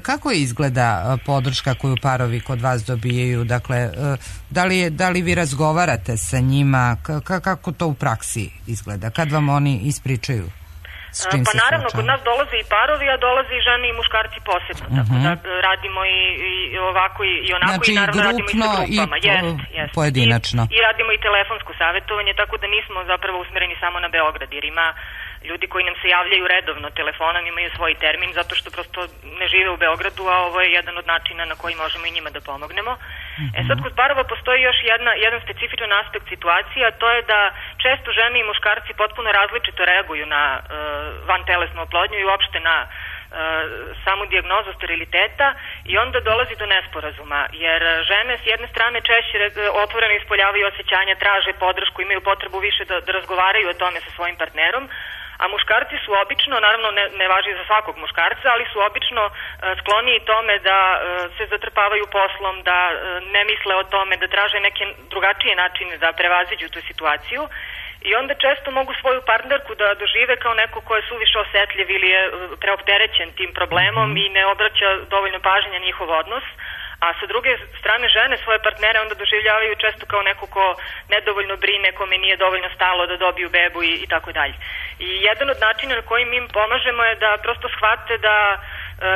Kako izgleda podrška koju parovi kod vas dobijaju? Dakle, da li, je, da li vi razgovarate sa njima? K- kako to u praksi izgleda? Kad vam oni ispričaju? Pa naravno, kod nas dolaze i parovi, a dolaze i žene i muškarci posebno. Uh-huh. Tako da radimo i, i ovako i, i onako znači, i naravno radimo i sa grupama. I jest, jest. Pojedinačno. I, I radimo i telefonsko savjetovanje, tako da nismo zapravo usmereni samo na Beograd, jer ima ljudi koji nam se javljaju redovno telefonom, imaju svoj termin, zato što prosto ne žive u Beogradu, a ovo je jedan od načina na koji možemo i njima da pomognemo. Mm-hmm. E sad, kod parova postoji još jedna, jedan specifičan aspekt situacije, a to je da često žene i muškarci potpuno različito reaguju na uh, vantelesnu oplodnju i uopšte na uh, samu dijagnozu steriliteta i onda dolazi do nesporazuma, jer žene s jedne strane češće otvoreno ispoljavaju osjećanja, traže podršku, imaju potrebu više da, da razgovaraju o tome sa svojim partnerom, a muškarci su obično, naravno ne, ne važi za svakog muškarca, ali su obično uh, skloniji tome da uh, se zatrpavaju poslom, da uh, ne misle o tome, da traže neke drugačije načine da prevaziđu tu situaciju i onda često mogu svoju partnerku da dožive kao neko ko je suviše osetljiv ili je uh, preopterećen tim problemom i ne obraća dovoljno pažnje na njihov odnos. A sa druge strane žene svoje partnere onda doživljavaju često kao neko ko nedovoljno brine, kome nije dovoljno stalo da dobiju bebu i, i tako dalje. I jedan od načina na koji mi im pomažemo je da prosto shvate da e,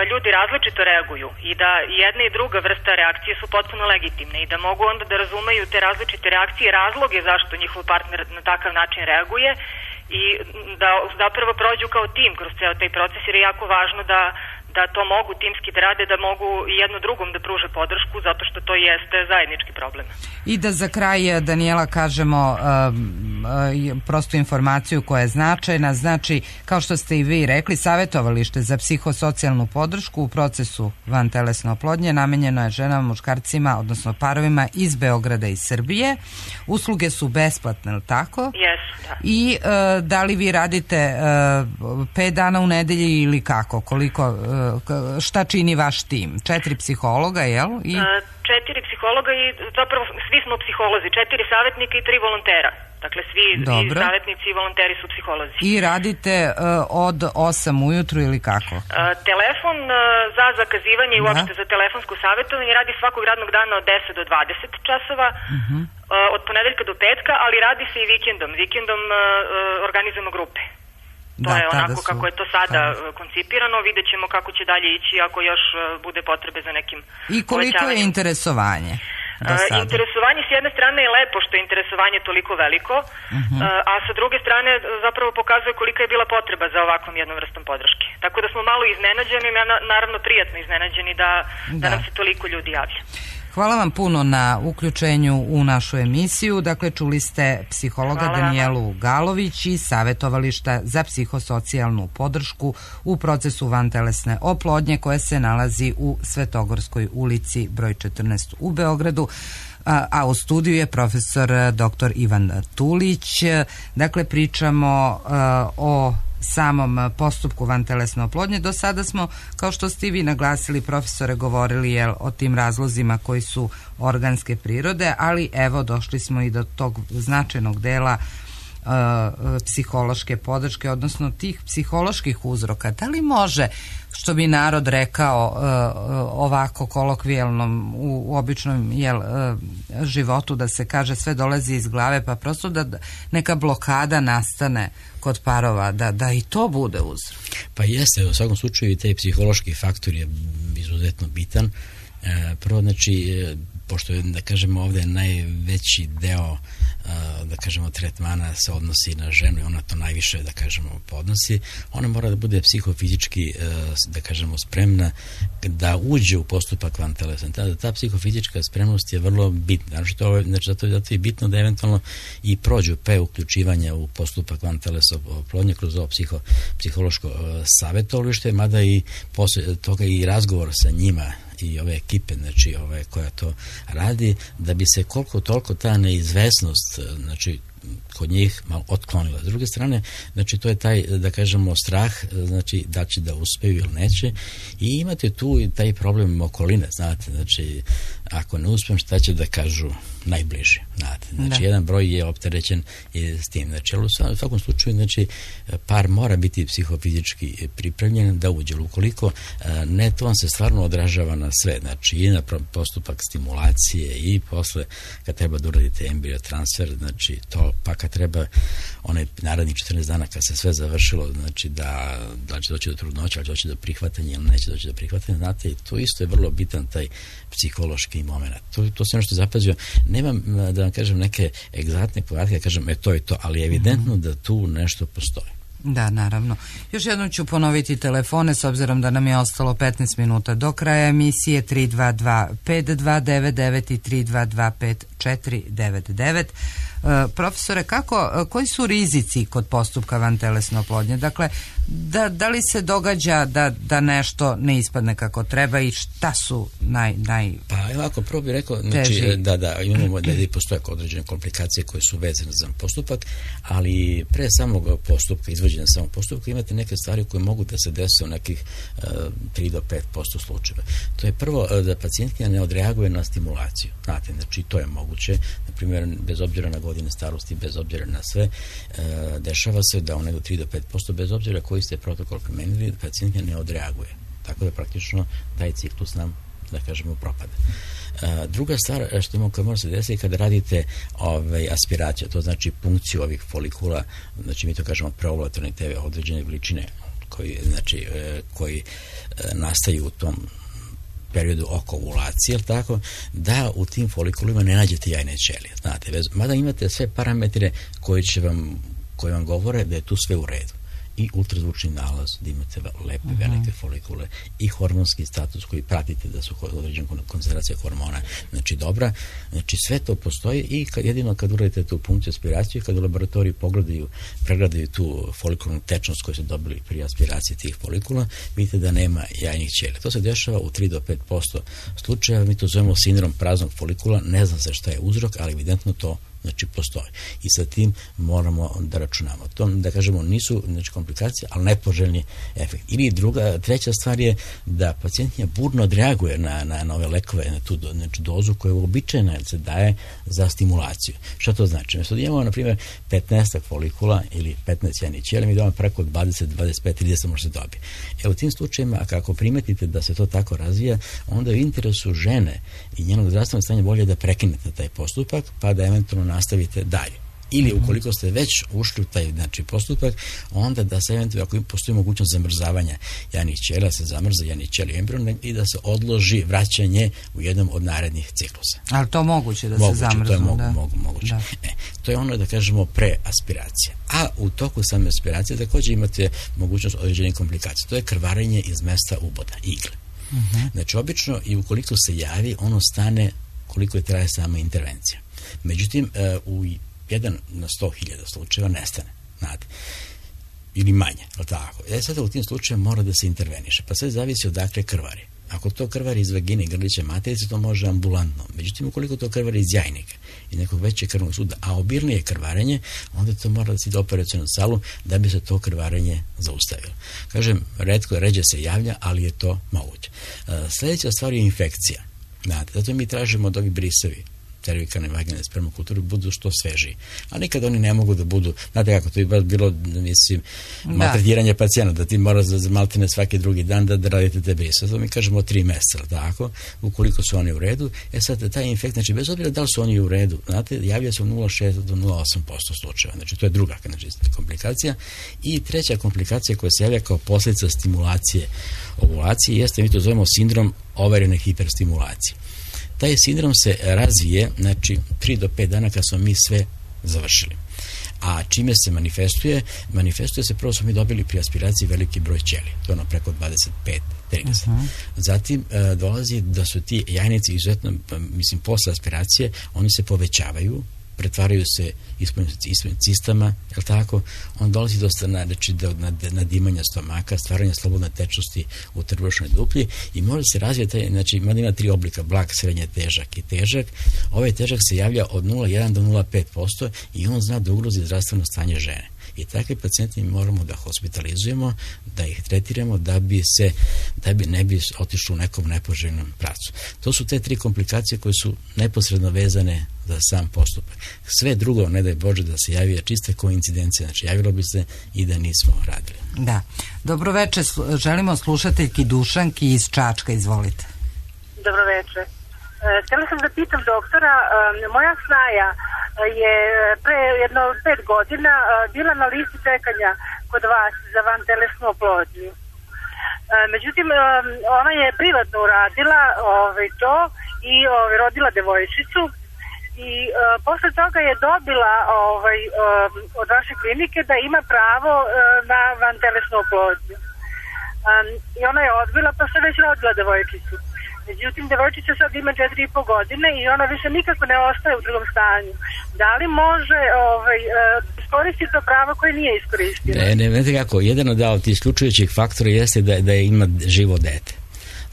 ljudi različito reaguju i da jedna i druga vrsta reakcije su potpuno legitimne i da mogu onda da razumeju te različite reakcije, razloge zašto njihov partner na takav način reaguje i da zapravo prođu kao tim kroz ceo taj proces, jer je jako važno da da to mogu timski da rade, da mogu jedno drugom da pruže podršku, zato što to jeste zajednički problem. I da za kraj, Danijela, kažemo uh, uh, prostu informaciju koja je značajna, znači, kao što ste i vi rekli, savjetovalište za psihosocijalnu podršku u procesu vantelesne oplodnje namenjeno je ženama, muškarcima, odnosno parovima iz Beograda i Srbije. Usluge su besplatne, ili tako? Jesu, da. I uh, da li vi radite uh, pet dana u nedelji ili kako? Koliko... Uh, šta čini vaš tim? Četiri psihologa, jel? I... Četiri psihologa i zapravo svi smo psiholozi, četiri savjetnika i tri volontera. Dakle, svi i savjetnici i volonteri su psiholozi. I radite uh, od osam ujutru ili kako? Uh, telefon uh, za zakazivanje i uopšte za telefonsko savjetovanje radi svakog radnog dana od deset do dvadeset časova, uh-huh. uh, od ponedeljka do petka, ali radi se i vikendom. Vikendom uh, uh, organizujemo grupe. To da, je onako su, kako je to sada tada. koncipirano, vidjet ćemo kako će dalje ići ako još bude potrebe za nekim I koliko je interesovanje? Uh, interesovanje s jedne strane je lepo što je interesovanje toliko veliko, uh-huh. uh, a sa druge strane zapravo pokazuje kolika je bila potreba za ovakvom jednom vrstom podrške. Tako da smo malo iznenađeni, naravno prijatno iznenađeni da, da. da nam se toliko ljudi javlja. Hvala vam puno na uključenju u našu emisiju. Dakle, čuli ste psihologa Hvala. Danijelu Galović iz Savjetovališta za psihosocijalnu podršku u procesu vantelesne oplodnje koje se nalazi u Svetogorskoj ulici broj četrnaest u Beogradu. A, a u studiju je profesor doktor Ivan Tulić. Dakle, pričamo a, o samom postupku vantelesne oplodnje. Do sada smo, kao što ste i vi naglasili, profesore, govorili jel, o tim razlozima koji su organske prirode, ali evo došli smo i do tog značajnog dela uh, psihološke podrške, odnosno tih psiholoških uzroka. Da li može, što bi narod rekao uh, ovako kolokvijalnom u, u običnom jel, uh, životu, da se kaže sve dolazi iz glave, pa prosto da neka blokada nastane kod parova, da, da i to bude uzrok? Pa jeste, u svakom slučaju i taj psihološki faktor je izuzetno bitan. E, prvo, znači, pošto je, da kažemo, ovdje najveći deo da kažemo tretmana se odnosi na ženu i ona to najviše, da kažemo, podnosi, ona mora da bude psihofizički, da kažemo, spremna da uđe u postupak vantelesne. Ta, ta psihofizička spremnost je vrlo bitna. Znači, to, znači zato, zato je bitno da eventualno i prođu pre uključivanja u postupak vantelesne oplodnje kroz ovo psiho, psihološko savjetovalište, mada i posle toga i razgovor sa njima i ove ekipe, znači ove koja to radi, da bi se koliko toliko ta neizvesnost, znači kod njih malo otklonila. S druge strane, znači to je taj, da kažemo, strah, znači da će da uspeju ili neće, i imate tu i taj problem okoline, znate, znači ako ne uspem, šta će da kažu najbliži, znate, znači da. Jedan broj je opterećen s tim, znači, ali u svakom slučaju, znači, par mora biti psihofizički pripremljen da uđe, ukoliko ne, to on se stvarno odražava na sve, znači i na postupak stimulacije i posle kad treba da uradite embriotransfer, znači to, pa kad treba onaj narednih četrnaest dana kad se sve završilo, znači da, da će doći do trudnoće, ali doći do prihvatanja ili neće doći do prihvatanja, znate, i to isto je vrlo bitan taj psihološki moment. To, to se ono što zapazio, nemam da vam kažem neke egzaktne podatke, da kažem, e to je to, ali je evidentno da tu nešto postoji. Da, naravno. Još jednom ću ponoviti telefone, s obzirom da nam je ostalo petnaest minuta do kraja emisije, tri dva dva pet dva devet devet i tri dva dva pet četiri devet devet. Uh, profesore, kako, koji su rizici kod postupka vantelesne oplodnje? Dakle, da, da li se događa da, da nešto ne ispadne kako treba i šta su naj... naj pa ovako, prvo bih rekao, znači, da, da, imamo da i postoje određene komplikacije koje su vezane za postupak, ali pre samog postupka, izvođenja samog postupka, imate neke stvari koje mogu da se dese u nekih uh, tri do pet posto slučajeva. To je prvo da pacijentkinja ne odreaguje na stimulaciju. Znate, znači to je moguće, na primjer, bez obzira na godine starosti, bez obzira na sve, uh, dešava se da u nego tri do pet posto, bez obzira koji ste protokol primenili, pacijentkinja ne odreaguje. Tako da praktično taj ciklus nam, da kažemo, propada. Uh, druga stvar što ima koja mora se desiti kada radite ovaj, aspiraciju, to znači punkciju ovih folikula, znači mi to kažemo preovulatorne teve određene veličine koji, znači, uh, koji uh, nastaju u tom periodu oko ovulacije, jel tako, da u tim folikulima ne nađete jajne ćelije, znate, bez, mada imate sve parametre koji će vam, koji vam govore da je tu sve u redu. I ultrazvučni nalaz, da imate lepe, uh-huh. velike folikule, i hormonski status koji pratite da su određena koncentracija hormona, znači dobra, znači sve to postoji i kad, jedino kad uradite tu punkciju aspiraciju, kad u laboratoriji pogledaju, pregledaju tu folikulnu tečnost koju su dobili pri aspiraciji tih folikula, vidite da nema jajnih ćelija. To se dešava u tri do pet posto slučajeva, mi to zovemo sindrom praznog folikula, ne znam se šta je uzrok, ali evidentno to znači postoji. I sa tim moramo da računamo. To, da kažemo, nisu znači, komplikacije, ali nepoželjni efekt. Ili druga, treća stvar je da pacijentnja burno odreaguje na, na, na ove lekove, na tu do, znači, dozu koja je uobičajena se daje za stimulaciju. Šta to znači? Mesto da imamo, na primjer, petnaest folikula ili petnaest jajnih ćelija, mi damo preko dvadeset, dvadeset pet, trideset može se dobiti. E, u tim slučajima, ako primetite da se to tako razvija, onda je u interesu žene i njenog zdravstvenog stanja bolje da prekinete taj postupak, pa da eventualno nastavite dalje. Ili ukoliko ste već ušli u taj znači, postupak, onda da se eventualno, ako postoji mogućnost zamrzavanja jajnih ćelija, se zamrza jajnih ćelija embriona i da se odloži vraćanje u jednom od narednih ciklusa. Ali to moguće da moguće, se zamrznu? To je mogu, da. mogu, moguće. Da. E, to je ono da kažemo preaspiracija. A u toku same aspiracije također imate mogućnost određenih komplikacija. To je krvarenje iz mesta uboda, igle. Uh-huh. Znači, obično i ukoliko se javi, ono stane koliko je traje sama intervencija. Međutim, u jedan na sto hiljada slučajeva nestane, znate, ili manje, ali tako. E sada u tim slučajevima mora da se interveniše, pa sve zavisi odakle krvari. Ako to krvari iz vagine i grlića materice, to može ambulantno. Međutim, ukoliko to krvari iz jajnika i nekog većeg krvnog suda, a obilnije krvarenje, onda to mora da se ide u operacionu salu da bi se to krvarenje zaustavilo. Kažem, retko, ređe se javlja, ali je to moguće. Sljedeća stvar je infekcija. Znate, zato mi tražimo od ovih brisevi cervikalne vaginalne spermokulture budu što svežiji. A nikad oni ne mogu da budu, znate kako, to je bilo, mislim, maltretiranje pacijenta, da ti mora za maltene svaki drugi dan da, da radite te brise. To mi kažemo tri meseca, tako, ukoliko su oni u redu. E sad, taj infekt, znači, bez obzira da li su oni u redu, znate, javlja se u nula zarez šest do nula zarez osam posto slučajeva. Znači, to je druga znači, komplikacija. I treća komplikacija koja se javlja kao posljedica stimulacije ovulacije jeste, mi to zovemo sindrom overene hiperstimulacije. Taj sindrom se razvije, znači, tri do pet dana kad smo mi sve završili. A čime se manifestuje? Manifestuje se, prvo smo mi dobili pri aspiraciji veliki broj ćelija, to je ono preko dvadeset pet trideset. Uh-huh. Zatim e, dolazi da su ti jajnici izuzetno, mislim, posle aspiracije, oni se povećavaju, pretvaraju se ispod cistama, je li tako? On dolazi dosta na, znači, do nadimanja stomaka, stvaranja slobodne tečnosti u trbušnoj duplji i može se razvijeti, znači ima, ima tri oblika, blag, srednje, težak i težak. Ovaj težak se javlja od nula zarez jedan do nula zarez pet posto i on zna da ugrozi zdravstveno stanje žene. I takve pacijente mi moramo da hospitalizujemo, da ih tretiramo da bi se, da bi ne bi otišlo u nekom nepoželjnom pravcu. To su te tri komplikacije koje su neposredno vezane za sam postupak. Sve drugo, ne daj Bože, da se javi čiste koincidencije, znači javilo bi se i da nismo radili. Da. Dobro večer, želimo slušateljki Dušanki iz Čačka, izvolite. Dobro večer. Htjela sam da pitam doktora, moja snaja je pre jedno pet godina bila na listi čekanja kod vas za vantelesnu oplodnju. Međutim, ona je privatno uradila ovaj, to i ovaj, rodila devojčicu i uh, posle toga je dobila ovaj, um, od vaše klinike da ima pravo uh, na vantelesnu oplodnju. Um, I ona je odbila pa se već rodila devojčicu. Međutim, devojčica sad ima četiri i po godine i ona više nikako ne ostaje u drugom stanju. Da li može ovaj, iskoristiti to pravo koje nije iskoristila? Ne, ne, ne kako. Jedan od tih isključujućih faktora jeste da, da je ima živo dete.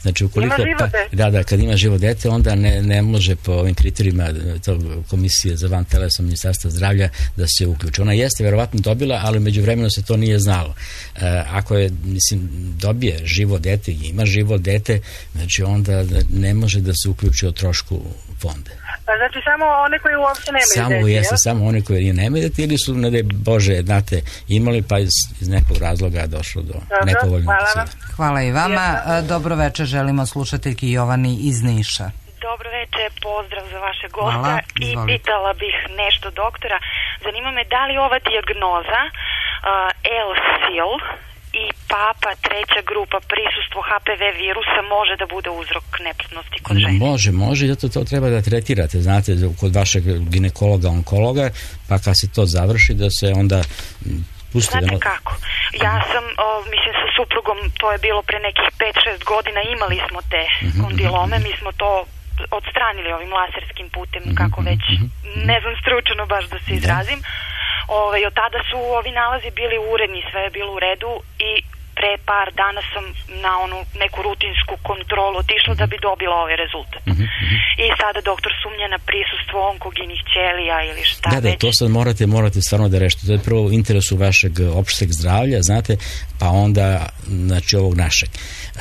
Znači, ukoliko, pa, da, da, kad ima živo dete, onda ne, ne može po ovim kriterijima to komisije za vantelesno Ministarstva zdravlja da se uključi. Ona jeste verovatno dobila, ali međuvremeno se to nije znalo. E, ako je, mislim, dobije živo dete i ima živo dete, znači onda ne može da se uključi o trošku fonda. Znači samo one koji uopšte nemaju samo, dete, jeste, samo one koji nemaju dete ili su, ne daj Bože, znate, imali pa iz, iz nekog razloga došlo do nepovoljnog hvala. Hvala i vama. Dobro večer, želimo slušateljki Jovani iz Niša. Dobro večer, pozdrav za vaše gosta i pitala bih nešto doktora. Zanima me da li ova dijagnoza uh, L-sil i papa treća grupa prisustvo H P V virusa može da bude uzrok neplodnosti kod žene? Može, može, zato to treba da tretirate, znate, kod vašeg ginekologa, onkologa, pa kad se to završi da se onda pusti. Znate da... kako? Ja sam, o, mislim, sa suprugom, to je bilo pre nekih pet šest godina, imali smo te uh-huh, kondilome, mi smo to odstranili ovim laserskim putem, uh-huh, kako već, uh-huh, ne znam stručno baš da se izrazim. Ove, od tada su ovi nalazi bili uredni, sve je bilo u redu i pre par dana sam na onu neku rutinsku kontrolu otišla da bi dobila ovaj rezultat. Mm-hmm. I sada doktor sumnja na prisustvo onkogenih ćelija ili šta da, već. Da, to sad morate, morate stvarno da rešite. To je prvo u interesu vašeg opšteg zdravlja, znate, pa onda znači ovog našeg.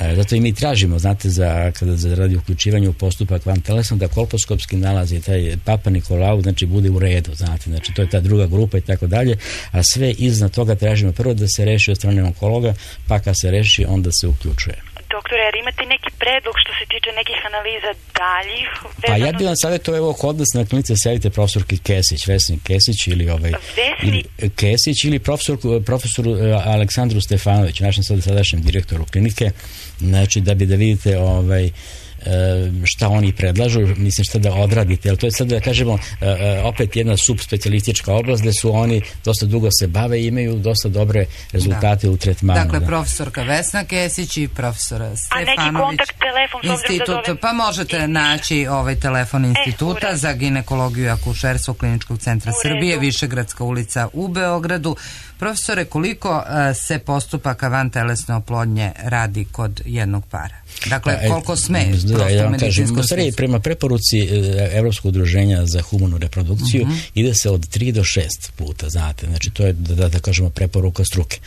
E, zato i mi tražimo, znate, za, kada za radi uključivanje u postupak vantelesno, da kolposkopski nalazi taj Papa Nikolau, znači bude u redu, znate, znači to je ta druga grupa i tako dalje, a sve iznad toga tražimo prvo da se reši od strane onkologa, pa kad se reši, onda se uključuje. Doktore, jer imate neki predlog što se tiče nekih analiza daljih? Pa ja bih vam savjetovao, evo kod nas na klinici savjetite profesorki Kesić, Vesni Kesić ili ovaj Vesni ili, Kesić ili profesor, profesor Aleksandru Stefanoviću, našem sad sadašnjem direktoru klinike, znači da bi da vidite ovaj šta oni predlažu, mislim šta da odradite, ali to je sad da kažemo opet jedna subspecijalistička oblast gde su oni dosta dugo se bave i imaju dosta dobre rezultate da. u tretmanu. Dakle, da. profesorka Vesna Kesić i profesor Stefanović. A neki kontakt, telefon, institut, da zovem... Pa možete i... naći ovaj telefon instituta e, za ginekologiju i akušerstvo Kliničkog centra Srbije, Višegradska ulica u Beogradu. Profesore, koliko uh, se postupaka vantelesne oplodnje radi kod jednog para? Dakle, pa, koliko sme? Da, da, ja vam kažem, prema preporuci Evropskog udruženja za humanu reprodukciju uh-huh. ide se od tri do šest puta, znate, znači to je, da, da kažemo, preporuka struke.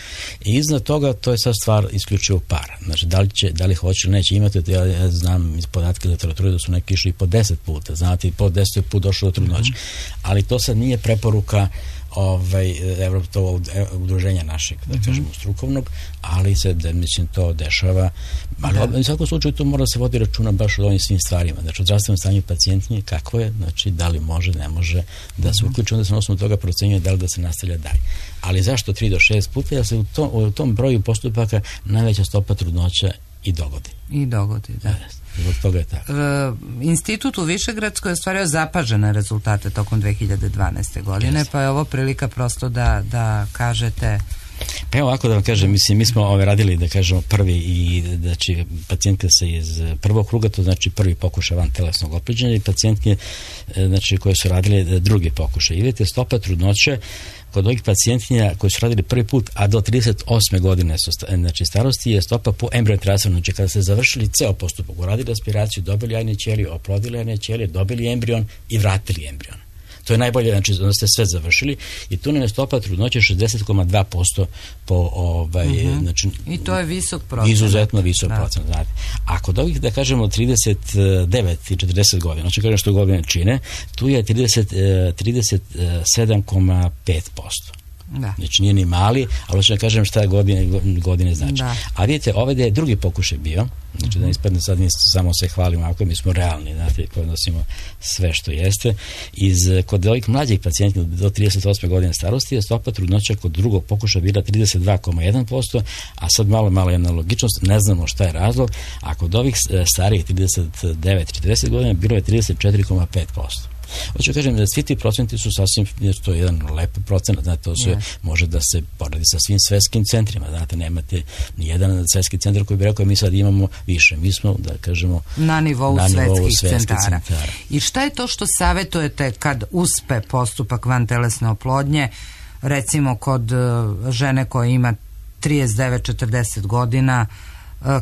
I iznad toga, to je sad stvar isključivo para. Znači, da li, će, da li hoće ili neće imati, ja, ja znam iz podatke literature da su neki išli i po deset puta, znate, i po deset put došlo do trudnoće. Uh-huh. Ali to sad nije preporuka ovaj Evropskog udruženja našeg, da kažemo, strukovnog, ali se, da, mislim, to dešava. Ali u svakom slučaju to mora se vodi računa baš od ovim svim stvarima. Znači, od zdravstvenom stanju pacijentnije, kako je, znači, da li može, ne može da se uključi, onda se na osnovu toga procenjuje da li da se nastavlja dalje. Ali zašto tri do šest puta? Jer se u tom, u tom broju postupaka najveća stopa trudnoća i dogodi. I dogodi, da. da. Zbog toga je tako. E, institut u Višegradskoj je ostvario zapažene rezultate tokom dve hiljade dvanaeste godine, yes. pa je ovo prilika prosto da, da kažete Pa evo ovako da vam kažem, mislim, mi smo ove radili, da kažemo, prvi i znači pacijentka se iz prvog kruga, to znači prvi pokušaj van telesnog oplođenja, i pacijentke znači koje su radile drugi pokušaj. I vidite, stopa trudnoće kod ovih pacijentkinja koji su radili prvi put, a do trideset osme godine su, znači starosti, je stopa po embrion transferu. Znači kada ste završili ceo postupak, uradili aspiraciju, dobili jajne ćelije, oplodili jajne ćelije, dobili embrion i vratili embrion. To je najbolje, znači onda ste sve završili, i tu nam je stopa trudnoće šezdeset zarez dva posto po ovaj, uh-huh. znači, i to je visok procenat. Izuzetno visok da. procenat, znate. A kod ovih, da kažemo, trideset devet i četrdeset godina, znači kažem što godine čine, tu je trideset, trideset sedam zarez pet posto. Da. Znači nije ni mali, ali hoću da kažem šta godine, godine znači. Da. A vidite, ovaj je drugi pokušaj bio, znači da ne ispadne sad mi samo se hvalimo, ako mi smo realni, znate, koji nosimo sve što jeste. Iz, kod ovih mlađih pacijenta do trideset osme godine starosti je stopa trudnoća kod drugog pokušaja bila trideset dva zarez jedan posto, a sad malo, malo jedna logičnost, ne znamo šta je razlog, a kod ovih starijih trideset devet četrdeset godina bilo je trideset četiri zarez pet posto. Hoću kažem da svi ti procenti su sasvim, jer to je jedan lep procenat, znate, to sve yes. može da se poradi sa svim svetskim centrima, znate, nemate ni jedan svetski centar koji bi rekao mi sad imamo više, mi smo, da kažemo, na nivou, na nivou svetskih, svetskih centara. centara. I šta je to što savjetujete kad uspe postupak vantelesne oplodnje, recimo kod žene koja ima trideset devet četrdeset godina,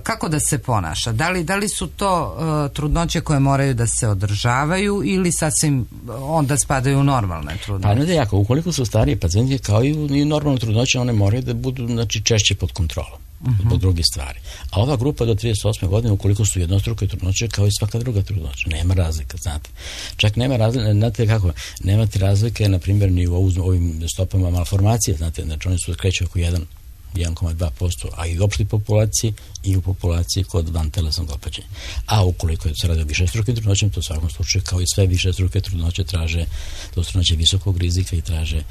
kako da se ponaša? Da li, da li su to uh, trudnoće koje moraju da se održavaju ili sasvim onda spadaju u normalne trudnoće? Pa ne da jako, ukoliko su starije pacijenti kao i u normalne trudnoće, one moraju da budu, znači, češće pod kontrolom. Uh-huh. Zbog drugih stvari. A ova grupa do trideset osme godine, ukoliko su jednostruke trudnoće, kao i svaka druga trudnoća, nema razlika, znate. Čak nema razlike, znate kako, nemate razlike, na primjer, ni u ovim stopama malformacije, znate, znači oni su kreću oko jedan zarez dva posto, a i u opštoj populaciji i u populaciji kod vantelesnog oplođenja. A ukoliko se radi o višestrukim trudnoćama, to u svakom slučaju, kao i sve višestruke trudnoće, traže, to su trudnoće visokog rizika i traže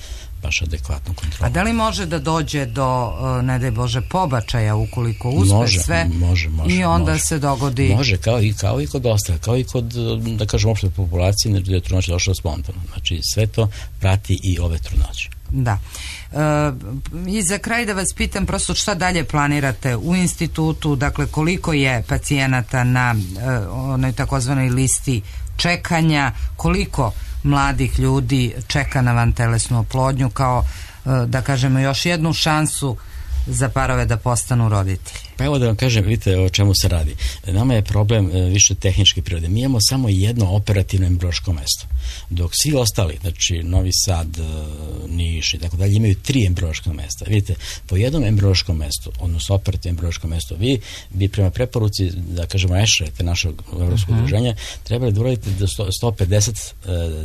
baš adekvatnu kontrolu. A da li može da dođe do, ne daj Bože, pobačaja ukoliko uspe može, sve može, može, i onda može. se dogodi... Može, kao i, kao i kod ostalih, kao i kod, da kažem, opštoj populaciji, gdje je trudnoća došla spontano. Znači, sve to prati i ove trudnoće. Da. E, I za kraj da vas pitam prosto šta dalje planirate u institutu, dakle koliko je pacijenata na e, onoj takozvanoj listi čekanja, koliko mladih ljudi čeka na vantelesnu oplodnju kao, e, da kažemo, još jednu šansu za parove da postanu roditelji? Pa evo da vam kažem, vidite o čemu se radi. Nama je problem e, više tehničke prirode. Mi imamo samo jedno operativno embriološko mesto, dok svi ostali, znači Novi Sad, e, Niš i tako dalje, imaju tri embriološka mesta. Vidite, po jednom embriološkom mestu, odnosno operativno embriološko mesto, vi bi prema preporuci, da kažemo E Š R, te našeg evropskog udruženja, uh-huh. trebali da uradite do sto pedeset e,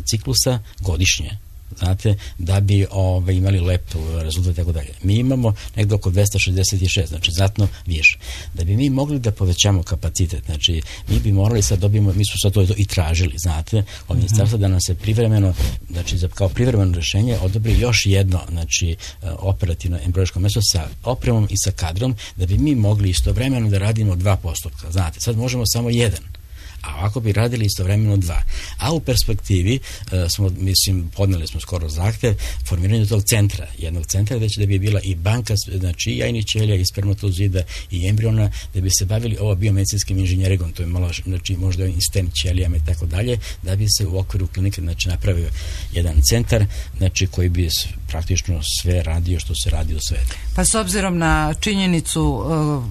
ciklusa godišnje, znate, da bi ove, imali lep rezultat i tako dalje. Mi imamo nekdo oko dvesta šezdeset šest, znači znatno više. Da bi mi mogli da povećamo kapacitet, znači mi bi morali sad dobijemo, mi smo sad to i tražili, znate, od ministarstva da nam se privremeno, znači za, kao privremeno rješenje odobri još jedno, znači operativno embriološko mesto sa opremom i sa kadrom, da bi mi mogli istovremeno da radimo dva postupka, znate, sad možemo samo jedan, a ovako bi radili istovremeno dva. A u perspektivi uh, smo, mislim, podneli smo skoro zahtev formiranju tog centra, jednog centra gde će da bi bila i banka, znači i jajnih ćelija, i spermatozida, i embriona, da bi se bavili ovo biomedicinskim inženjeringom, to je malo, znači možda i stem ćelijama i tako dalje, da bi se u okviru klinike, znači, napravio jedan centar, znači koji bi praktično sve radio što se radi u svetu. Pa s obzirom na činjenicu uh,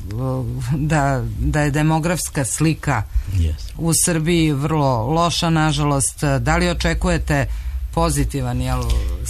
da, da je demografska slika yes. u Srbiji vrlo loša, nažalost, da li očekujete pozitivan jel,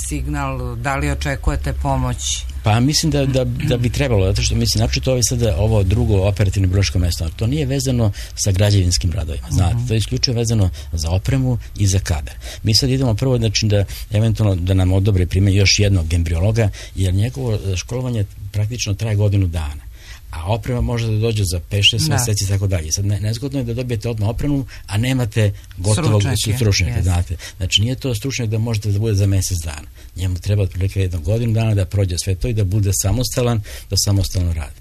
signal, da li očekujete pomoć? Pa mislim da, da, da bi trebalo, zato što mislim, naprosto ovo je sada ovo drugo operativno embriološko mesto, to nije vezano sa građevinskim radovima, znate, uh-huh. to je isključivo vezano za opremu i za kadar. Mi sad idemo prvo, znači, da eventualno da nam odobre prime još jednog embriologa, jer njegovo školovanje praktično traje godinu dana. A oprema može da dođe za pet šest mjeseci i tako dalje. Sad ne, nezgodno je da dobijete odmah opremu, a nemate gotovog stručnjaka, znate. Znači nije to stručnjak da možete da bude za mjesec dana. Njemu treba otprilike jednu godinu dana da prođe sve to i da bude samostalan, da samostalno radi.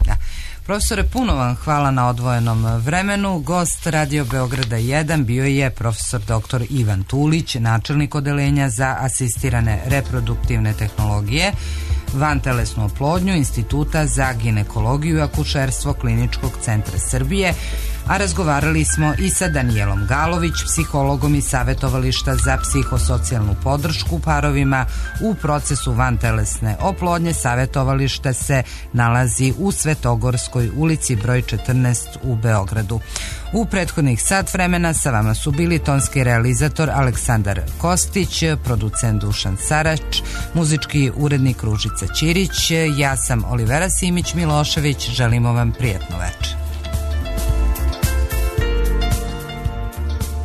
Da. Profesore, puno vam hvala na odvojenom vremenu. Gost Radio Beograda jedan bio je profesor doktor Ivan Tulić, načelnik odeljenja za asistirane reproduktivne tehnologije vantelesnu oplodnju Instituta za ginekologiju i akušerstvo Kliničkog centra Srbije, a razgovarali smo i sa Danijelom Galović, psihologom iz Savetovališta za psihosocijalnu podršku parovima u procesu vantelesne oplodnje. Savetovalište se nalazi u Svetogorskoj ulici broj četrnaest u Beogradu. U prethodnih sat vremena sa vama su bili tonski realizator Aleksandar Kostić, producent Dušan Sarač, muzički urednik Ružica Ćirić, ja sam Olivera Simić Milošević, želimo vam prijatno večer.